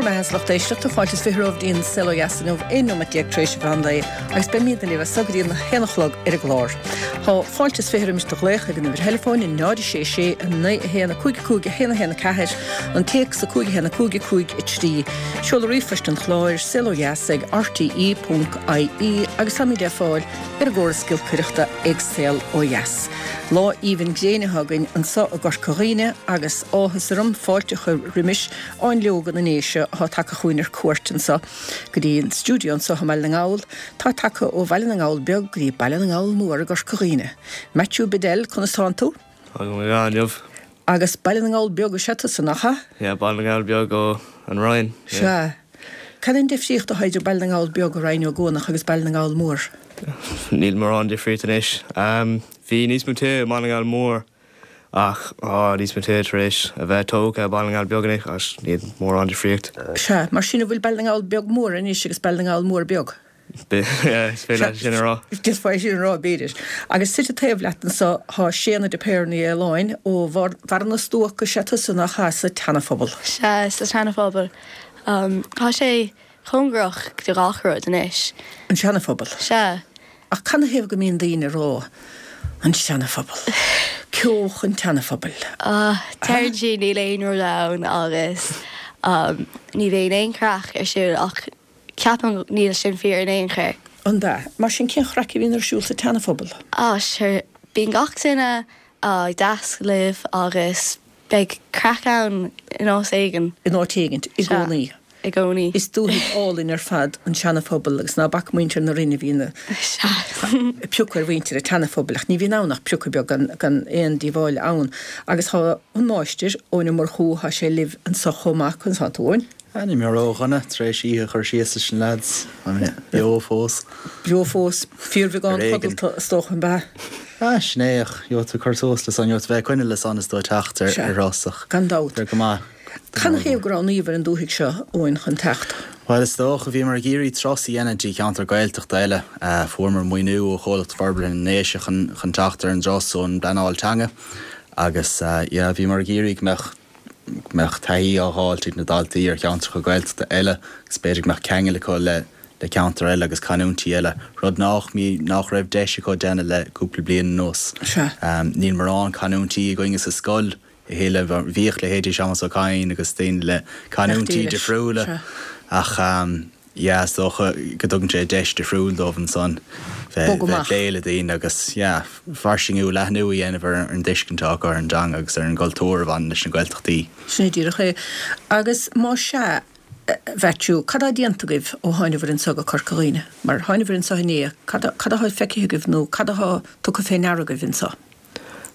Bhur mbeatha a lucht éisteachta, fáilte is 20 romhaibh go dtí an Saol Ó Dheas inniu, 11 nóiméad tar éis an mheán lae, agus beimidne libh as so go dtí an haon a chlog ar an gclár. Tá fáilte is 20 roimis do ghlaoch ag an uimhir theileafóin, 0 6 6 9 1 5 5 1 1 4, an téacs 5 1 5 5 3. Seoladh ríomhphoist an chláir, saolodheas ag rte ponc ie, agus táimid le fáil ar an gcóras giolcaireachta ag Saol Ó Dheas. Lá aoibhinn gréine atá againn anso i gCorca Dhuibhne agus áthas orm fáilte a chur roimis Fháinleoga na nDéise atá tagtha chugainn ar cuairt anso go dtí an stiúideo anso i mBaile na nGall. Tá tagtha ó Bhaile na nGall Beag go dtí Baile na nGall Mór i gCorca Dhuibhne. Matthew Bedell, conas tánn tú? Tá go maith inniu. Agus Baile na nGall Beag is ea tusa, nach ea? Yeah, Baile na nGall Beag ó An Rinn. Sea. Cad é an difríocht atá idir Baile na nGall Beag i Rinn Ó gCuanach agus Baile na nGall Mór? Níl mórán difríocht anois. Bhí níos mó tithe i mBaile na nGall Mór Ach tá níos mó tithe tar éis a bheith tógtha i Baile na nGall Beag anois ach níl mórán difríocht. Sea, mar sin an bhfuil Baile na nGall Beag Mór anois agus Baile na nGall Mór Beag? Yeah, is féidir leat sin a rá. Is féidir sin a rá, b'fhéidir. Agus suite taobh leat anso tá Séanna de Paor Ní Fhaoláin ó Bharra na Stuac is ea tusa nach ea sa tSeana-Phobal. Sea, sa tSeana-Phobal. Tá sé cóngarach do gach rud anois. An Seana-Phobal? Sea. Ach canathaobh go mbíonn daoine ag rá an Seana-Phobal? Ceoch an tSeana-Phobail. Deireann siad níl aon rud ann agus ní bhíonn aon chraic ar siúl ach ceapaim níl sin fíor in aon chor. An ea? Mar sin cén chraic a bhíonn ar siúl sa tSeana-Phobal? Ah sure, bíonn gach duine deas libh agus Beidh craic ann in áit éigin. In áit éigint, i gcónaí. Sea, i gcónaí. Is dúthaigh álainn ar fad an Seana-Phobal agus ná bac muintir na Rinne a bhíonn ag piocadh ar mhuintir an tSeana-Phobail ach ní bhíonn ann ach piocadh beag gan aon díobháil ann. Agus tá an Máistir, Eoin Ó Murchú, tá sé libh anso chomh maith. Conas tánn tú, Eoin? Ah, níl mé ródhona, tar éis oíche a chur síos leis na leaids. Beo fós. Beo fós. Fíorbheagán codlata, is dócha, an ea? Ah, sin é, ach gheobhaidh tú cur suas le san, gheobhaidh tú bheith ag coinne le san is tú ag teacht ar thuras ach. Gan dabht. Go maith. Canathaobh go roghnaíobhair an dúthaigh seo, Eoin, chun teacht? Bhuel, is dócha, bhíomar ag iarraidh turas a dhéanamh dtí ceantar Gaeltachta eile. Fuaireamar maoiniú ó Chomhlacht Forbartha na nDéise chun chun teacht ar an dturas ón bpleanáil teanga agus yeah, bhíomar ag iarraidh go mbeadh go mbeadh taithí á dh'fháilt ag na daltaí ar cheantracha Gaeltachta eile agus b'fhéidir go mbeadh ceangal acu le le ceantair eile agus canúintí eile, rud nách nach raibh deis acu déanamh le cúpla bliain anuas. Sea. Níl morán canúintí againne sa scoil a thuilleadh. Bhíodh leithéidí Séamas Ó Cadhain agus daoine le canúintí difriúla ach yeah is dócha go dtugann sé deis difriúil dóibh ansan bheith ag plé le daoine agus yeah fairsingiú, leathnú a dhéanamh ar an dtuiscint atá acu ar an dteanga agus ar an gcultúr a bhaineann leis na Gaeltachtaí. Sin é díreach é. Agus más ea, Mhaitiú, cad tá déanta agaibh ó tháinabhair anso go Corca Dhuibhne? Mar tháinabhair anso inné, cad cad atá feicthe agaibh nó cad atá tugtha fé ndeara agaibh anso?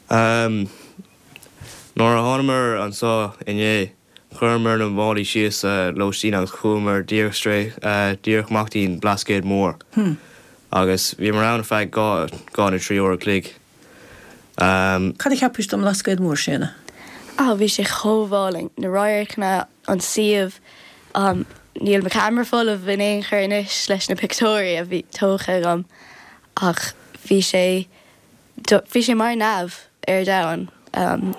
Umm, nuair a thánamar anso inné, Chuireamar na málaí síos sa lóistín agus chuamar díreach straight, díreach amach dtí'n Blascaod Mór. Agus bhíomar ann ar feadh dhá, dhá nó trí uair a chloig. Cad a cheapais don mBlascaod Mór, Séanna? Ah, bhí sé chomh álainn. Na radharcanna, an suíomh, níl mo cheamara folamh in aon chor anois leis na pictiúirí a bhí tógtha agam ach bhí sé Bhí sé mar neamh ar domhan.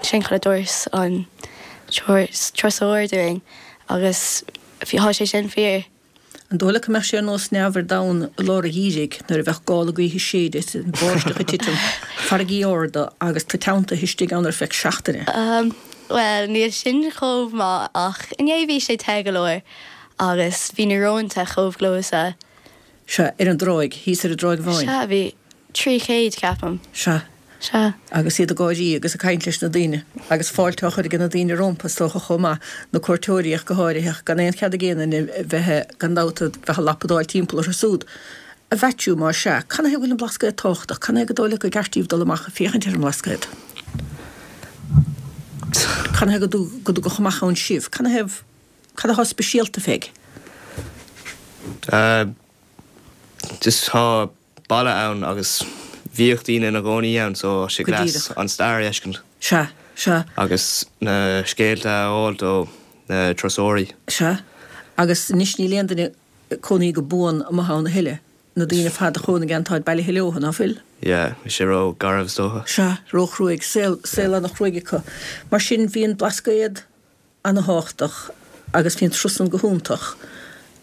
Sin cad a dúirt an turasóir dúinn agus tá sé sin fíor. An dóigh leat go mbeadh sé ar nós neamh ar domhan i lár an gheimhridh nuair a bheadh gála gaoithe ag séideadh, báisteach ag titim, farraigí arda agus tú teanntaithe istigh ann ar feadh seachtaine? Bhuel, níl sin chomh maith ach inné bhí sé te go leor agus bhí na rónta chomh gleoite. Sea, ar an dtráigh, thíos ar an dTráigh Bháin. Sea, bhí 300, ceapaim. Sea. Sea. Agus iad ag gáirí agus ag caint leis na daoine, agus fáilte á chur ag na daoine rompu, is dócha, chomh maith, na cuairteoirí ach go háirithe, ach gan aon chead ag aon duine bheith, gan dabht, a bheith ag lapadáil timpeall orthu súd. A Mhaitiú, más ea, canathaobh go bhfuil an Blascaod tábhachtach? Canathaobh gur dóigh leat gur ceart daoibh dul amach ag féachaint ar an mBlascaod? Canathaobh go dtugadh amach ann sibh? Canathaobh, cad atá speisialta fé? Just tá baile ann agus bhíodh daoine ina gcónaí ann so tá sé Go class díreach. an stair a fheiscint. Sea, sea. Agus na scéalta a fháilt ó na turasóirí. Sea. Agus anois níl aon duine ag cónaí go buan amuigh ann a thuilleadh. Na daoine ar fad a chónaigh ann táid bailithe leo, ná fuil? Yeah, bhí sé ró garbh is dócha. Sea, ró-chruaidh. Saol, saol ana-chruaidh acu. Mar sin bhí an Blascaod ana-thábhachtach. agus bhí an turas san go hiontach.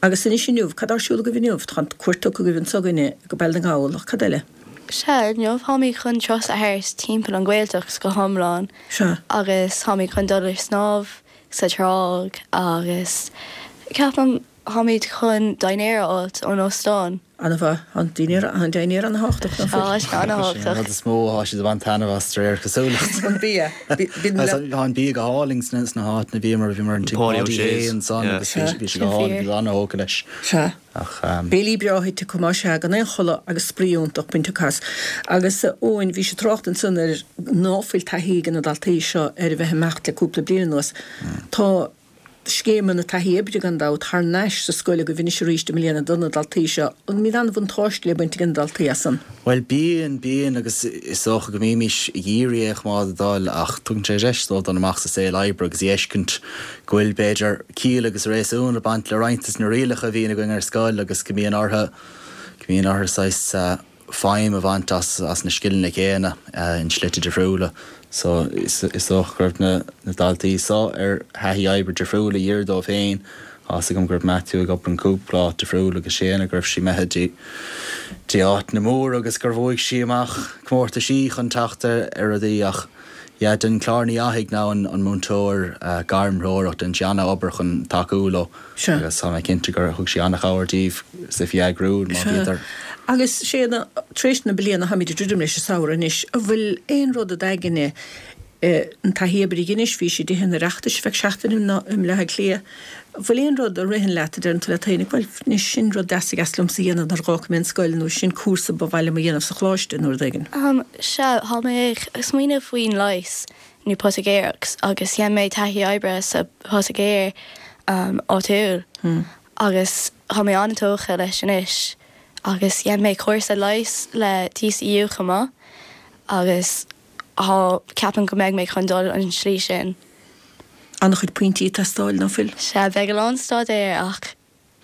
Agus anois inniu, cad tá ar siúl agaibh inniu? Tá an cuairt tugtha agaibh anso againne go Baile na nGall, ach cad eile? Sea, inniu táimid chun turas a thabhairt timpeall an Ghaeltacht go hiomlán. Sea. Agus táimid chun dul ar snámh sa tráigh agus ceapaim táimid chun dinnéar a fháilt ón óstán. Ana-mhaith. Tá an dinnéar, an dinnéar ana-thábhachtach, ná fuil? Tá sé ana-thábhachtach. Sin an rud is mó atá siad ag baint taitneamh as, de réir cosúlacht. An bia. Tá an bia go hálainn sna háiteanna a bhíomar, bhíomar in Tigh Páidí Páidí O'Shea's. ansan agus bhí sé go hálainn, bhí ana-thógtha leis. Sea. Ach. Béilí breá ite acu más ea, gan aon chodladh agus spraoi iontach bainte acu as. Agus a Eoin, bhí sé trácht ansan ar ná fuil taithí ag na daltaí seo ar a bheith ag imeacht le cúpla bliain anuas. Tá. scéimeanna taithí oibre gan dabht thar n-ais sa scoil agaibh anois arís i mbliana do na daltaí seo. An mbíonn an-bhuntáiste le baint ag na daltaí as san? Bhuel, bíonn, bíonn agus is dócha go mbímís ag iarraidh é a choimeád ag dul ach tugann sé deis dóibh dul amach sa saol oibre agus a fheiscint go bhfuil, b'fhéidir, ciall agus réasún ag baint le roinnt des na rialacha a bhíonn againn ar scoil agus go mbíonn orthu, go mbíonn orthu saghas, feidhm a bhaint as na scileanna céanna in slite difriúla. So is dócha go raibh na daltaí so ar thaithí oibre difriúla a dh'iarr dóibh féin. Tá fhios agam go raibh Matthew ag obair in cúpla áit difriúil agus Séanna go raibh sí imithe dtí dtí áiteanna móra agus gur bhuaigh sí amach comórtaisí chun teacht ar rudaí ach yeah den Clár Ní Fhathaigh ná an múinteoir gairmthreorach déanann sí an-obair chun tacú leo. Sea. Agus tá mé cinnte gur thug sí an-chabhair díobh is í a eagrú má Sea. bhíodar. Agus Séanna, tar éis na bliana, táimid ag druidim leis an samhradh anois, an bhfuil aon rud i d'aigne, an taithí oibre a dheinis, bhís i dTithe an Oireachtais ar feadh seachtaine i mBaile Átha Cliath, an bhfuil aon rud a ritheann leat a deireann tú leat féin, bhuel, anois sin rud deas a dheas liomsa a dhéanamh nuair a dh'fhágfaidh mé an scoil nó sin cúrsa ba mhaith liom a dhéanamh sa choláiste nó rud éigin? Sea, tá mé ag smaoineamh faoin leigheas. nó poitigéireacht agus dhein mé taithí oibre sa phoitigéir áitiúil agus tá mé an-tógtha leis anois agus dhein mé cúrsa leighis le TCU chomh maith agus tá, ceapaim go mbeidh mé chun dul an slí sin. An-chuid pointí ag teastáil, ná fuil? Sea, beidh a lán staidéir ach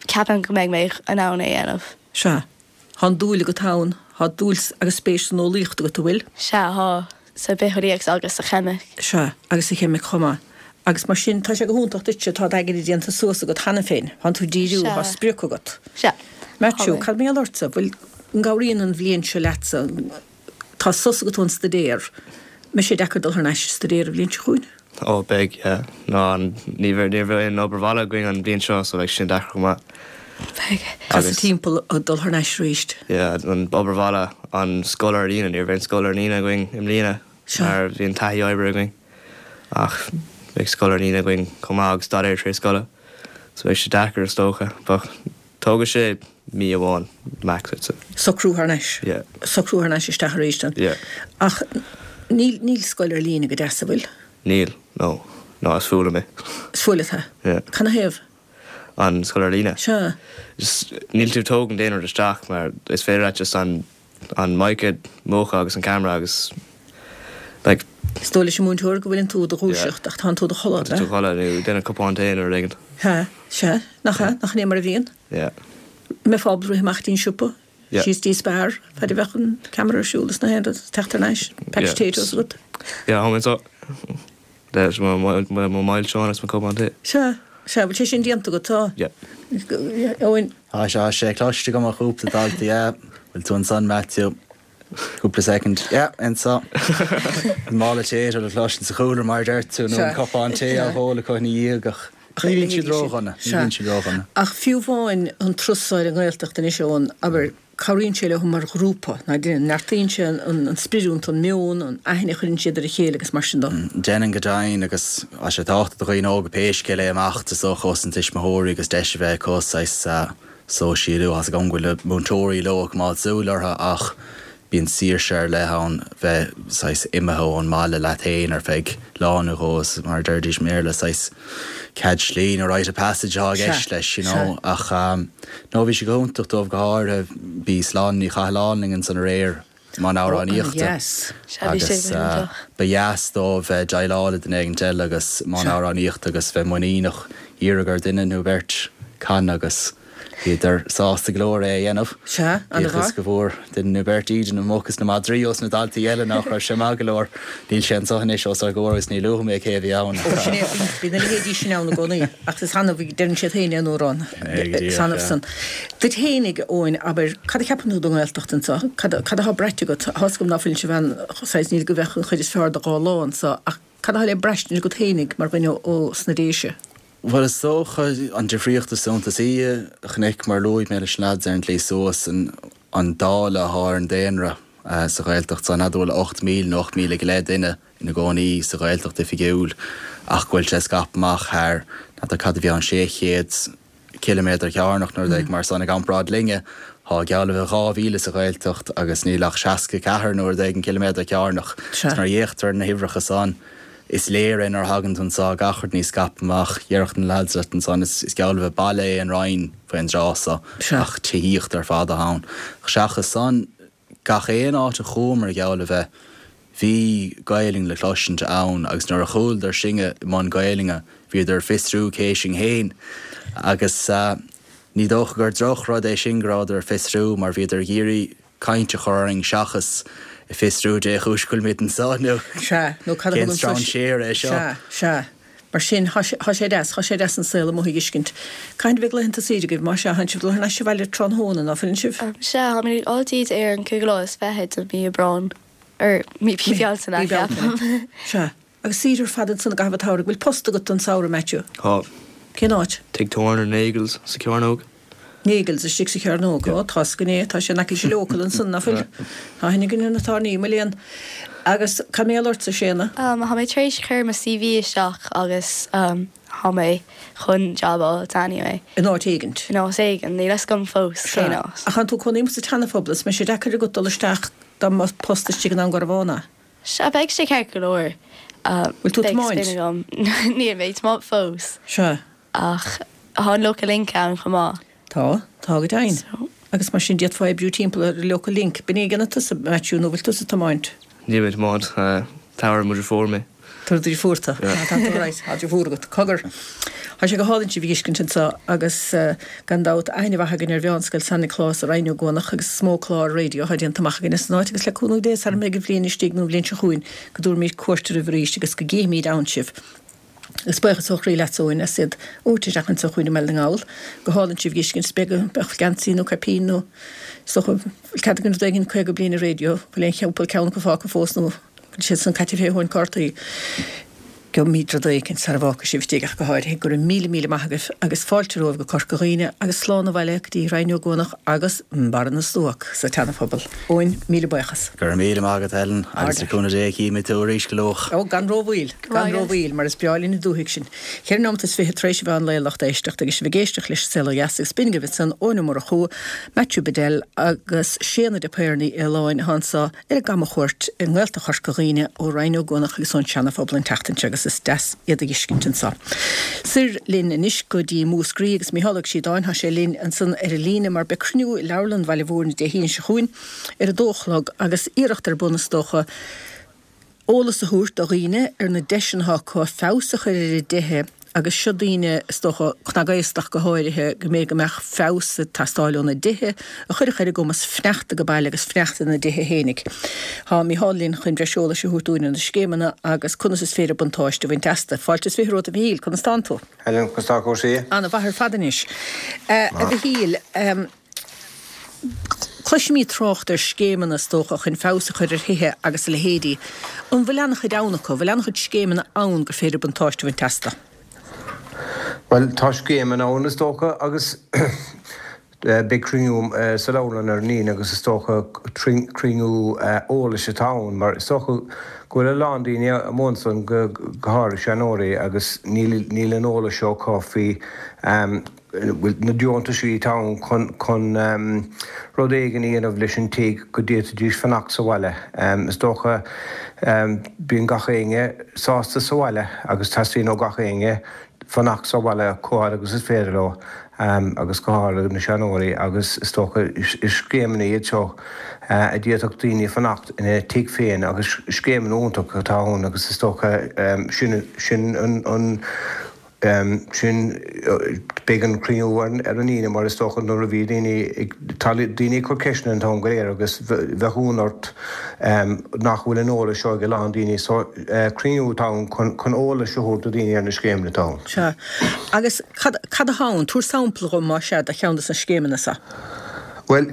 Ceapaim go mbeidh mé in ann é a dhéanamh. Sea. Tá an dúil agat ann. Tá dúil agus spéis san eolaíocht agat, an bhfuil? Sea, tá. Sa bhitheolaíocht agus sa cheimic. Sea, agus sa cheimic chomh maith. Agus mar sin, tá sé go hiontach duitse, tá d'aigne déanta suas agat cheana féin. Tánn tú díriú, Sea. tá sprioc agat. Sea. Maitiú, Tá mé. cad mar gheall ortsa? Bhfuil, an gcabhraíonn an bhliain seo leatsa? Tá sos agat ón staidéar. Mbeidh sé deacair dul thar n-ais ag staidéar an bhliain seo chugainn? Ó, beidh, yeah. Ná, ní bheidh, ní bheidh aon obair bhaile againn an bhliain seo so beidh sin deacair chomh maith. Beidh. Casadh timpeall ag dul thar n-ais arís. Yeah, an obair bhaile, an scoil ar líne, ní raibh aon scoil ar líne againn i mbliana mar bhí an taithí oibre againn ach beidh scoil ar líne againn chomh maith agus staidéar tar éis scoile so beidh sé deacair is dócha but Tógfaidh sé mí amháin max I'd say. Socrú thar n-ais. Yeah. Socrú thar n-ais isteach arís then. Yeah. Ach níl, níl scoil ar líne go deas, an bhfuil? Níl, no. No, is fuath liom é. Is fuath leat é? Yeah. Canathaobh? An scoil ar líne? Sea. Just, níl tú ag tógaint aon rud isteach mar is féidir leat just an, an mic a mhúchadh agus an camera agus like. Is dóigh leis an múinteoir go bhfuileann tú i do dhúiseacht ach tánn tú i do chodladh, Tá tú i do chodladh nó ag déanamh cupán tae nó rud éigin. Sea, sea, nach ea, nach in é mar a bhíonn? Yeah. Mbeifeá ábalta rith amach dtí'n siopa, Yeah. síos dtí Spar, fad a bheadh an camera ar siúl is na haon rud, teacht thar n-ais, pack Yeah. potatoes agat. Yeah, tá mé anseo. Leis mo mo mhilseán is mo cupán tae. Sea, sea, bhfuil sé sin déanta agat, tá? Yeah. Eoin. Tá sé, tá sé cloiste agam ó chúpla dalta, yeah. Bhfuil tú ansan, Matthew? Cúpla second. Yeah, anso. An mála potato le cloisint sa chúlra mar a deir tú, nó an cupán tae á ól acu ina dhiaidh ach ní bhíonn siad ródhona, ní bhíonn siad ródhona. Ach fiú amháin an turas ar an nGaeltacht anois, Eoin, abair, cabhraíonn sé leo mar ghrúpa, ná déanann, neartaíonn sé an sprid iontu, an meon, an aithne a chuireann siad ar a chéile agus mar sin de. Déanann go deimhin agus tá sé tábhachtach do dhaoine óga pé scéal é imeacht is dócha ós na tuismitheoirí agus deis a bheith acu saghas sóisialú. Tá's agam go bhfuil na múinteoirí leo ag coimeád súil orthu ach bíonn saoirse ar leith ann bheith saghas imithe ón mbaile leat féin ar feadh lá nó dhó is mar a deiridís i mBéarla saghas cead slí nó rite of passage atá i gceist leis you know ach no bhí sé go hiontach dóibh go háirithe bhí Sláine Ní Chathalláin linn ansan aréir i mbun amhránaíochta agus ba dheas dóibh bheith ag déileáil le duine éigint eile agus i mbun amhránaíochta agus bheith muiníneach iarraidh ar duine nó beirt canadh agus. Bhíodar sásta go leor é a dhéanamh. Sea, ana-mhaith. Bíodh is go bhfuair duine nó beirt íde na muc is na madraí ós na daltaí eile nach raibh sé maith go leor. Níl sé anso anois os ár gcomhair agus ní luafaidh mé cé a bhí ann. Ó, sin é, bíonn a leithéidí sin ann i gcónaí, ach is annamh, deireann siad féin é in amhrán, is annamh san. Duit fhéinig, a Eoin, abair, cad a cheapann tú den nGaeltacht anso? Cad, cad atá braite agat? Tá's agam ná fuileann sibh ann, saghas, níl go bheadh an chuid is fearr de dhá lá anso, ach cad atá le braistint agat fhéinig mar dhuine ó sna Déise? Bhuel, is dócha, an difríocht is suntasaí a chonaic, mar a luaigh mé leis na lads ar an tslí suas, an dáileadh atá ar an daonra sa Ghaeltacht so, n'fheadar bhfuil 8,000 nó 8,000 go leith duine ina gcónaí sa Ghaeltacht oifigiúil ach go bhfuil sé scaipthe amach thar, n'fheadar cad a bhí ann, 600 ciliméadar cearnach nó rud éigin mar san. I gcomparáid linne, tá geall le bheith 2,000 sa Ghaeltacht agus níl ach 64 nó rud éigin ciliméadar cearnach. Is nuair a fhéachtar ar na huimhreacha san, is léir é nuair a thagann tú anso, gach rud níos scaipthe amach. Déarfadh na leaids leat ansan, is geall le bheith baile é an Rinn faoin dtráth so, ach tithíocht ar fad atá ann. Seachas san, Gach aon áit a chuamar, geall le bheith, bhí Gaelainn le cloisint ann agus nuair a chualadar sinne i mbun Gaelainne bhíodar ag fiosrú cé sinn fhéin agus ní dócha gur droch rud é sin go rabhadar ag fiosrú mar bhíodar ag iarraidh caint a chur orainn seachas ag fiosrú dé chúis go bhfuilimid anso nó Sea, nó cad a cén thugann tusa. strainséir é seo. Sea, sea. Mar sin, thá sé, thá sé deas, thá sé deas an saol amuigh a fheiscint. Cathain a bheidh laethanta saoire agaibh? Má sea, thánn sibh dul thar n-ais abhaile tráthnóna, ná fuileann sibh? Sea, táimid ag dul díd ar an cúigiú lá is fiche de mí Aibreáin, or mí Bealtaine, Mí Bealtaine. ceapaim. Sea. Agus saoire ar fad ansan i gcaitheamh an tsamhraidh. Bhfuil post agat don samhradh, Matthew? Tá. Cén áit? Tigh tábhairne Nagels sa Chearnóg. Nagels istigh sa Chearnóg. Ó, tá's againn é, tá sé in aice leis an Local ansan, ná fuil? Tá aithne againn ar na tábhairní, mo léan. Agus cad mar gheall ortsa, Séanna? Tá mé tar éis cur mo CV isteach agus tá mé chun job a fháilt anyway. In áit éigint? In áit éigin, níl fhios agam fós Sea. cén áit. Ach tánn tú ag cónaí amuigh sa tSeanaphobal, is mbeidh sé deacair agat dul isteach dá mbeadh post istigh in Am Garbhán, a? Sea, beidh sé ceart go leor. Bhfuil tú ag Beidh tiomáint? spin agam. Níl mé ag tiomáint fós. Sea. Ach tá an Local Link ann chomh maith. Tá, tá go deimhin. So. Agus mar sin d'fhéadfá oibriú timpeall ar an Local Link. B'in é a dhéanfaidh tusa, Matthew, nó bhfuil tusa ag tiomáint? Níl mé ag tiomáint. Tabharfaidh mo dheirfiúr mé. Tabharfaidh do dheirfiúr tú. Yeah. Tá tú right. Tá deirfiúr agat. Cogar. Tá sé go hálainn sibh a fheiscint anseo agus gan dabht aithne mhaith againn ar Mheánscoil San Nioclás i Rinn Ó gCuanach agus is mó clár raidió atá déanta amach againn as an áit agus le cúnamh Dé sara mbeidh an bhliain istigh nó an bhliain seo chugainn go dtabharfaimid cuairt oraibh arís agus go gcífimid ann sibh. Agus buíochas ó chroí leatsa Eoin as iad a thabhairt isteach anseo chugainn i mBaile na nGall. Go hálainn sibh a fheiscint. Is beag a bheadh geansaí nó caipín nó is dócha bhfuil cead againn rud éigin 50 bliain ar raidió, bhfuil aon chúpla ceann acu fágtha fós nó bhfuil siad san caite fé thóin cártaí. Gheobhaimid rud éicint sara bhfágfaidh sibh istigh ach go háirithe. Go raibh míle míle maith agaibh agus fáilte romhaibh go Corca Dhuibhne agus slán abhaile go dtí Rinn Ó gCuanach agus Barra na Stuac sa tSeanaphobal. Eoin, míle buíochas. Go raibh míle maith agat Helen agus le cúnamh Dé cífimid tú arís go luath. Ó, gan rómhoill, gan rómhoill, mar is breá linn an dúthaigh sin. Cheithre nóimeat is fiche tar éis an mheán lae a lucht éisteachta agus sibh ag éisteacht leis an Saol Ó Dheas agus b'in agaibh ansan Eoin Ó Murchú, Matthew Bedell agus Séanna de Paor Ní Fhaoláin atá anso ar a gcamachuairt i nGaeltacht Chorca Dhuibhne ó Rinn Ó gCuanach agus ón Seana-Phobal an tseachtain seo agus is deas iad a fheiscint anso. Soir linn anois go dtí Múscraí agus Mícheál Ó Síodáin, tá sé linn ansan ar an líne mar beidh cruinniú i Leabharlann Bhaile Mhúirne Dé hAoine seo chugainn ar a dó a chlog agus iarracht ar bun is dócha eolas a thabhairt do dhaoine ar na deiseanna atá acu feabhas a chur ar a dtithe agus seo daoine, is dócha, cnagaostach go háirithe, go mb'fhéidir go mbeadh feabhas ag teastáil óna dtithe a chuirfeadh ar a gcumas fanacht age baile agus fanacht ina dtithe fhéinig. Tá Mícheál linn chun breis eolais a thabhairt dúinn ar na scéimeanna agus conas is féidir buntáiste a bhaint astu. Fáilte is fiche romhat a Mhichíl, conas tánn tú? Helen, conas tá cúrsaí? Ana mhaith ar fad anois. A Mhichíl, Cloisimid trácht ar scéimeanna, is dócha, chun feabhas a chur ar thithe agus a leithéidí. An bhfuil an-chuid ann acu? An bhfuil an-chuid scéimeanna ann gur féidir buntáiste a bhaint astu? Bhuel, tá scéimeanna ann, is dócha, agus beidh cruinniú sa leabharlann ar an Aoine agus is dócha cruinniú eolais atá ann mar is dócha go bhfuil a lán daoine amuigh ansan, go háirithe seanóirí, agus níl an eolas seo acu faoi na deontaisí atá ann chun rud éigin a dhéanamh leis an tigh go d'fhéadfaidís fanacht sa bhaile. Is dócha bíonn gach éinne sásta sa bhaile agus teastaíonn ó gach éinne fanacht sa bhaile chomh fhad agus is féidir leo agus go háirithe na seanóirí agus is dócha is scéimeanna iad seo a d'fhéadfadh daoine fanacht ina tigh féin agus scéimeanna iontacha atá ann agus is dócha sin an. Sin, beidh an cruinniú ar an Aoine mar is dócha nuair a bhí daoine ag, tá daoine ag cur ceisteanna an t-am go léir agus bheadh ionadh ort nach bhfuil an eolas seo ag a lán daoine. So, cruinniú atá ann chun eolas a thabhairt do dhaoine ar na scéimeanna atá ann. Sea. Agus cad, cad atá ann? Tabhair sampla dhom, más ea, de cheann de na scéimeanna seo. Bhuel,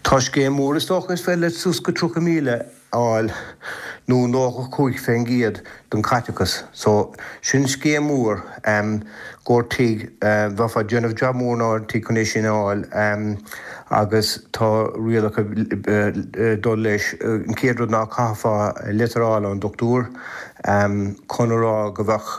tá scéim mhór is dócha, is féidir leat suas go 30,000 a fháil nó 95% den chaiteachas. So, sin scéim mhór i gcomhair tigh, bheifeá ag déanamh jab mór now ar an tigh chun é sin a fháil agus tá rialacha ag dul leis. An chéad rud ná caithfeá litir a fháil ón dochtúir chun a rá go bheadh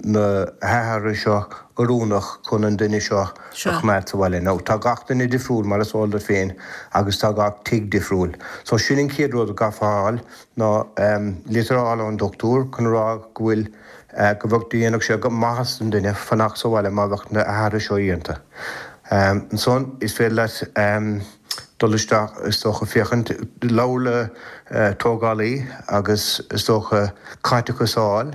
na hathruithe seo oiriúnach chun an duine seo a choimeád sa bhaile. Now, tá gach duine difriúil, mar is eol duit féin, agus tá gach tigh difriúil. So, sin an chéad rud a gcaithfeá a fháil, ná litir a fháil ón dochtúir chun a rá go bhfuil, go bheadh, dhéanfadh sé maitheas don duine fanacht sa bhaile má bheadh na hathruithe seo déanta. Ansan, is féidir leat dul isteach, is dócha, féachaint, labhair le tógálaí agus is dócha caiteachas a fháil.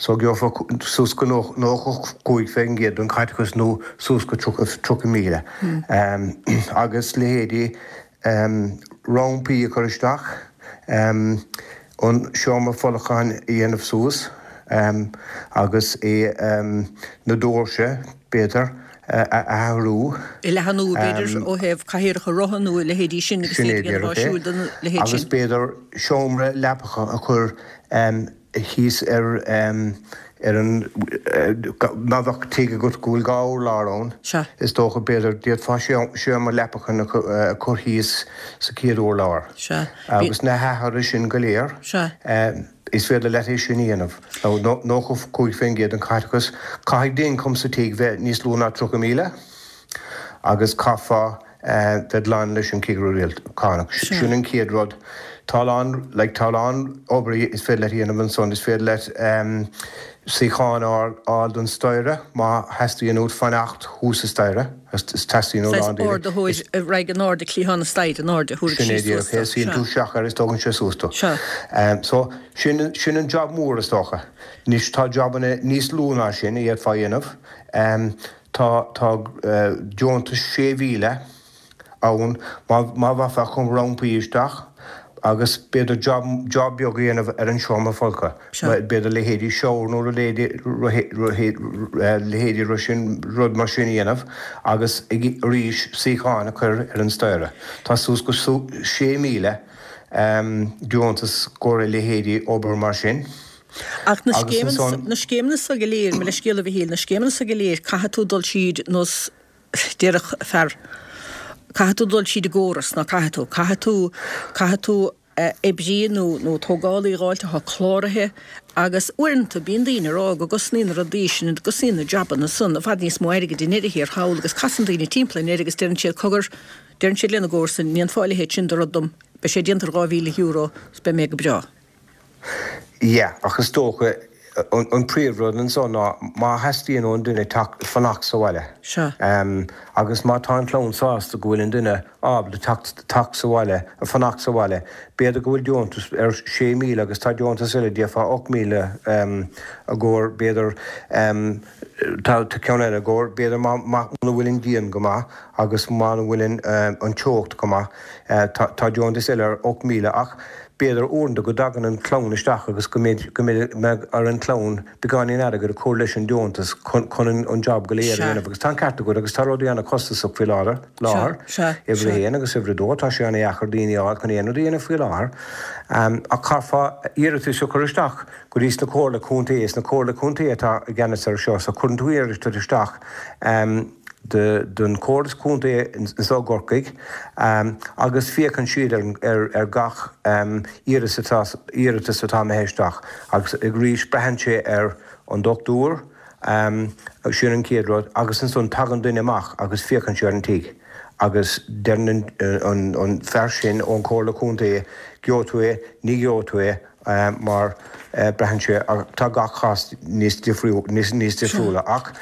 So gheofá suas go 95% den chaiteachas nó suas go 30,000. Agus leithéidí rampaí a chur isteach, an seomra folcháin a dhéanamh suas agus é na doirse, b'fhéidir, a athrú. A leathnú, b'fhéidir, ó thaobh cathaoireacha rotha nó a leithéidí sin agus iad a dhéanamh áisiúil don leithéid sin. Agus b'fhéidir seomra leapacha a chur thíos ar ar an má bheadh tigh agat go bhfuil 2 urlár ann, is dócha, b'fhéidir, d'fhéadfá seomra leapacha a chur thíos sa chéad urlár. Agus na hathruithe sin go léir, is féidir leat é sin a dhéanamh. Nó 95% den chaiteachas, caithfidh d'ioncam sa tigh bheith níos lú ná 30,000 agus caithfeá bheith glan leis an Chigire Cánach. Sin an chéad rud. Tá a lán, like, tá a lán obair is féidir leat a dhéanamh ansan. Is féidir leat suíochán a fháil don staighre má theastaíonn uait fanacht thuas sa staighre. Teastaíonn ó a lán daoine. Saghas ardaitheoir a raghaidh in airde cliathán na staighre in airde, thabharfaidh sí suas tú. Sin é díreach é. Suíonn tú isteach air is tógann sé suas tú. So, sin, sin an job mór is dócha. Anois tá jobanna níos lú ná sin a d'fhéadfá a dhéanamh. Tá tá deontas 6,000 ann má má bheifeá chun rampaí isteach agus b'fhéidir job job beag a dhéanamh ar an seomra folctha. B'fhéidir leithéidí shower nó leithéidí leithéidí sin rud mar sin a dhéanamh agus arís suíocháin a chur ar an staighre. Tá suas go 6,000 deontas i gcomhair a leithéidí obair mar sin. Ach na scéimeanna, na scéimeanna so go léir, mo leithscéal a Mhichíl, na scéimeanna so go léir, caithfidh tú dul tríd nós, déarfadh fear, caithfidh tú dul tríd an gcóras, ná caithfidh tú, caithfidh tú, caithfidh tú oibrí nó, nó tógálaí a dh'fháilt atá cláraithe agus uaireanta bíonn daoine ag rá go gcosnaíonn na rudaí sin, go gcosnaíonn na jabanna san i bhfad níos mó airgid i ndeireadh thiar thall agus casann daoine timpeall i ndeireadh agus deireann siad cogar, deireann siad lena gcomharsain, ní dhéanfá a leithéid sin de rud dom, beidh sé déanta ar €2,000 's beidh mé go breá. Yeah, ach is dócha, an príomhrud anso ná má theastaíonn ón duine teacht, fanacht sa bhaile. Sea. Agus má tá an chlann sásta go bhfuil an duine ábalta teacht, teacht sa bhaile, fanacht sa bhaile, b'fhéidir go bhfuil deontas ar 6,000 agus tá deontas eile d'fhéadfá 8,000 i gcomhair, b'fhéidir, tá ceann eile i gcomhair, b'fhéidir má, muna bhfuil an díon go maith agus muna bhfuil an, an teocht go maith, tá, tá deontas eile ar 8,000 ach B'fhéidir uaireanta go dtagann an chlann isteach agus go mbeidh go mbeidh ar an chlann beagáinín airgid a chur leis an deontas chun chun an job go léir a dhéanamh agus tá an ceart agat agus tá rudaí ana-chostasach faoi láthair láthair uimhir a haon agus uimhir a dó tá sé ana-dheacair daoine a fháil chun aon rud a dhéanamh faoi láthair ach chaithfeá iarratas a chur isteach go dtí sna comhairle contae is na comhairle contae atá i gceannas ar seo so cuireann tú iarratas isteach don Chomhairle Contae anseo i gCorcaigh agus féachann siad ar gach iarratas atá imithe isteach agus arís braitheann sé ar an dochtúir, sin an chéad rud, agus ansan tagann duine amach agus féachann sé ar an tigh agus deireann an fear sin ón Chomhairle Contae gheobhaidh tú é, ní gheobhaidh tú é. mar braitheann sé, tá gach cás níos difriúla ach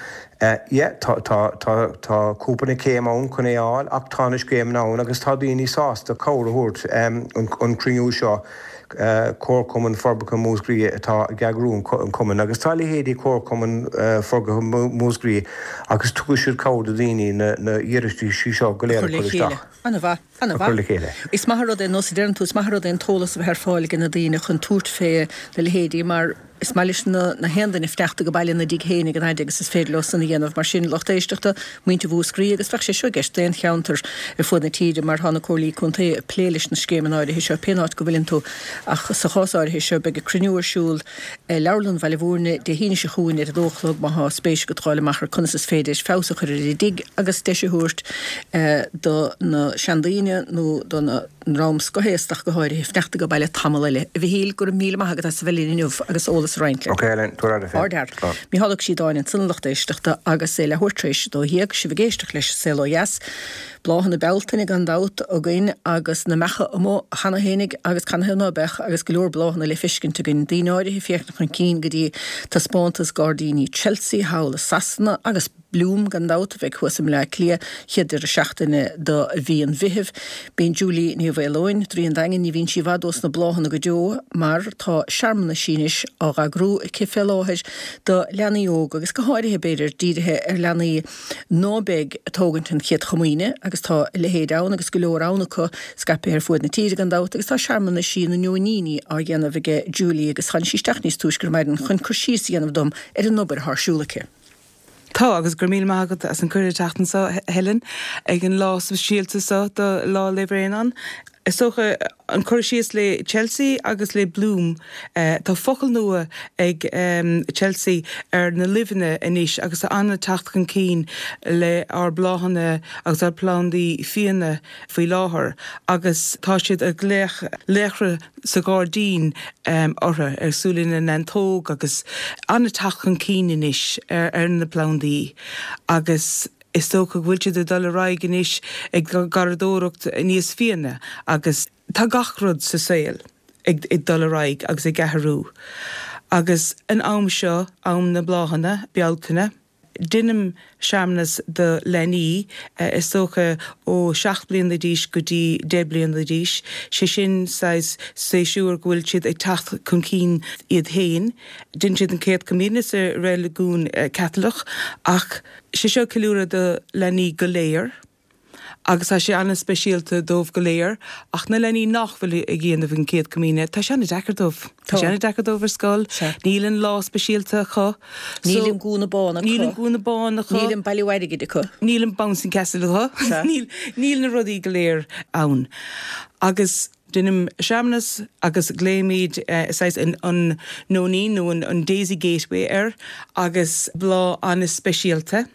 yeah tá tá tá tá cúpla céim ann chun é a fháil ach tá na scéimeanna ann agus tá daoine sásta cabhair a thabhairt an cruinniú seo. Comharchumann Forbartha Mhúscraí atá ag eagrú an chumainn agus tá leithéidí Comharchumann Forbartha Mhúscraí agus tugann siad cabhair do dhaoine na hiarrataisí seo go léir a chur isteach. An-mhaith, an-mhaith. Is maith an rud é, nós a deireann tú, is maith an rud é an t-eolas a bheith ar fáil ag na daoine chun tabhairt fé na leithéidí mar is maith leis na haon duine fanacht ag baile ina dtigh féin ag an fhaid agus is féidir leo san a dhéanamh. Mar sin, lucht éisteachta, muintir Mhúscraí, agus bheadh sé seo i gceist d'aon cheantar ar fuaid na tíre mar tá na comhairlí contae ag plé leis na scéimeanna áirithe seo pén áit go bhfuileann tú ach sa chás áirithe seo beidh cruinniú ar siúl i Leabharlann Bhaile Mhúirne Dé hAoine seo chugainn ar a dó a chlog má thá spéis agat ghabháil amach ar conas is féidir feabhas a chur ar an dtigh agus deis a thabhairt do na seandaoine nó don ndream scothaosta ach go háirithe fanacht ag baile tamall eile. A Mhichíl, go raibh míle maith agat as a bheith linn inniu agus eolas a roinnt linn. Ok Elaine, tabhair aire féin. Ardfhear. Micheál Ó Críodáin ansan a lucht éisteachta agus é leathuair tar éis a 12, sibh ag éisteacht leis An Saol Ó Dheas. Bláthanna Bealtaine gan dabht againn agus na mbeacha amuigh cheana fhéinig agus canathaobh ná beadh agus go leor bláthanna le feiscint againn. Daoine áirithe ag féachaint chun cinn go dtí taispeántas gairdíní Chelsea thall i Sasana agus Bloom gan dabht a bheidh thuas i mBleá Cliath chéad deireadh seachtaine do mhí an Mheithimh. Bíonn Julie Ní Mhaoileoin, Draoi an Daingin, ní bhíonn sí i bhfad ós na bláthanna go deo mar tá searmanais anois á dh'eagrú aici fé láthair do leanaí óga agus go háirithe b'fhéidir dírithe ar leanaí ná beidh ag tógaint an Chéad Chomaoine, agus tá a leithéid ann agus go leor ann acu, scaipthe ar fuaid na tíre gan dabht, agus tá searmanaisí na Nóiníní á dhéanamh aige Julie agus tháinig sí isteach níos túisce ar maidin chun cur síos a dhéanamh dom ar an obair atá ar siúl aici. Tá, agus go raibh míle maith agat as an cuireadh teacht anso, a Helen, ag an lá speisialta seo do Lá 'le Bhréanainn. Is dócha, an cur síos le Chelsea agus le Bloom, tá focal nua ag Chelsea ar na luibheanna anois agus tá an-teacht chun cinn le ár bláthanna agus ár plandaí fiáine faoi láthair agus tá siad ag glaoch laochra sa ghairdín orthu, ar cosúil lena neantóg agus an-teacht chun cinn anois ar na plandaí agus. Is dócha go bhfuil siad ag dul ar aghaidh anois ag garraíodóireacht níos fiaine agus tá gach rud sa saol ag dul ar aghaidh agus ag athrú agus an am seo, am na bláthanna, Bealtaine, deinim searmanas do leanaí, is dócha ó 7 bliana d'aois go dtí 10 bliana d'aois, sé sin saghas séasúr go bhfuil siad ag teacht chun cinn iad féin, deineann siad an Chéad Chomaoine sa reiligiún Caitliceach ach. Sé seo ceiliúradh do leanaí go léir agus tá sé an-speisialta dóibh go léir ach na leanaí nach bhfuil ag dhéanamh an Chéad Chomaoine, tá sé an-deacair dóibh. Tá sé an-deacair dóibh ar scoil, níl an lá speisialta acu. Níl an gúna bán acu. Níl an gúna bán acu. Níl an bailiú airgid acu. Níl an bouncing castle acu. Níl, níl na rudaí go léir ann. Agus. Deinim searmanas agus glaoimid saghas an Nóinín nó an Daisy Gateway air agus bláth an-speisialta,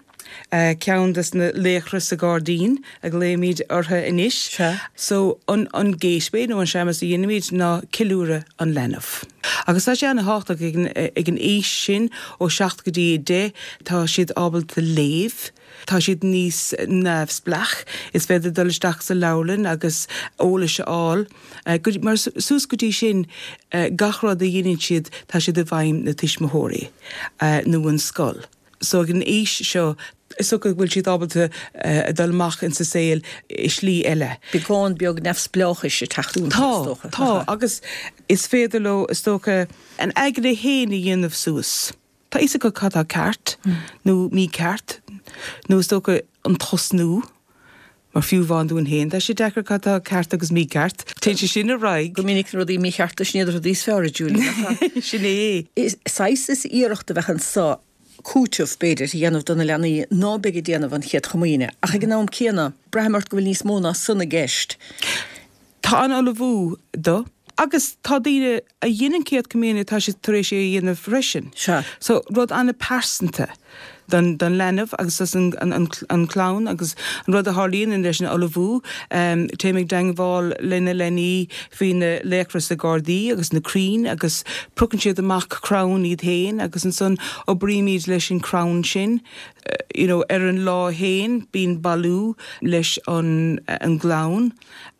ceann des na laochra sa ghairdín a ghlaoimid orthu anois. So an Gateway nó an searmanas a dheinimid ná ceiliúradh an leanbh. Agus tá sé an-thábhachtach ag an aois sin, ó 7 go dtí 10, tá siad ábalta léamh, Tá siad níos neamhspleách, is féidir dul isteach sa leabharlann agus eolais a fháil. Mar suas go dtí sin, gach rud a dheineann siad, tá siad i bhfeidhm na tuismitheoirí nó an scoil. So ag an aois seo, is dócha go bhfuil siad ábalta dul amach insa saol i slí eile. Beagán beag neamhspleáchais ag teacht iontu, is dócha. Tá, tá, agus is féidir leo, is dócha, an aigne fhéin a dhéanamh suas. Tá fhios acu cad tá ceart nó mícheart, nó is dócha an tosnú, mar fiú amháin dúinn féin, tá sé deacair cad tá ceart agus mícheart. Téann sé sin ar aghaidh. Go minic na rudaí míchearta, sin iad na rudaí is fearr, a Julie, nach ea? Sin é. Is saghas is iarracht a bheadh anso cúiteamh, b'fhéidir, a dhéanamh do na leanaí ná beidh ag déanamh an Chéad Chomaoine, ach ag an am céanna, braithim ort go bhfuil níos mó ná san i gceist. Tá an-ullmhú do, agus tá daoine a dhein an Chéad Chomaoine, tá siad tar éis é a dhéanamh freisin. Sea. So, rud an-pearsanta don, don leanbh agus dos an, an, an clann agus an rud a tharlaíonn leis an ullmhú, téim i dteangmháil le na leanaí faoi na laochra sa ghairdí agus na crainn agus piocann siad amach crann iad féin agus ansan oibrímid leis an crann sin, you know, ar an lá féin bíonn bailiú leis an, an gclann.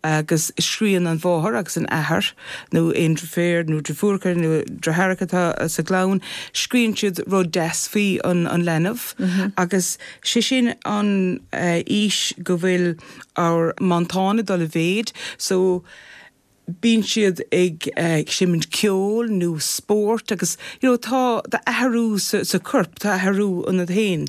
agus scríonn an mháthair agus an athair, nó aon deirféar nó deirfiúracha nó deartháireacha atá sa gclann, scríonn siad rud deas faoi an leanbh agus sé sin an aois go bhfuil ár mantán ag dul i mhéid so. Bíonn siad ag seimint ceoil nó spórt agus you know tá tá athrú sa sa corp, tá athrú ionat féin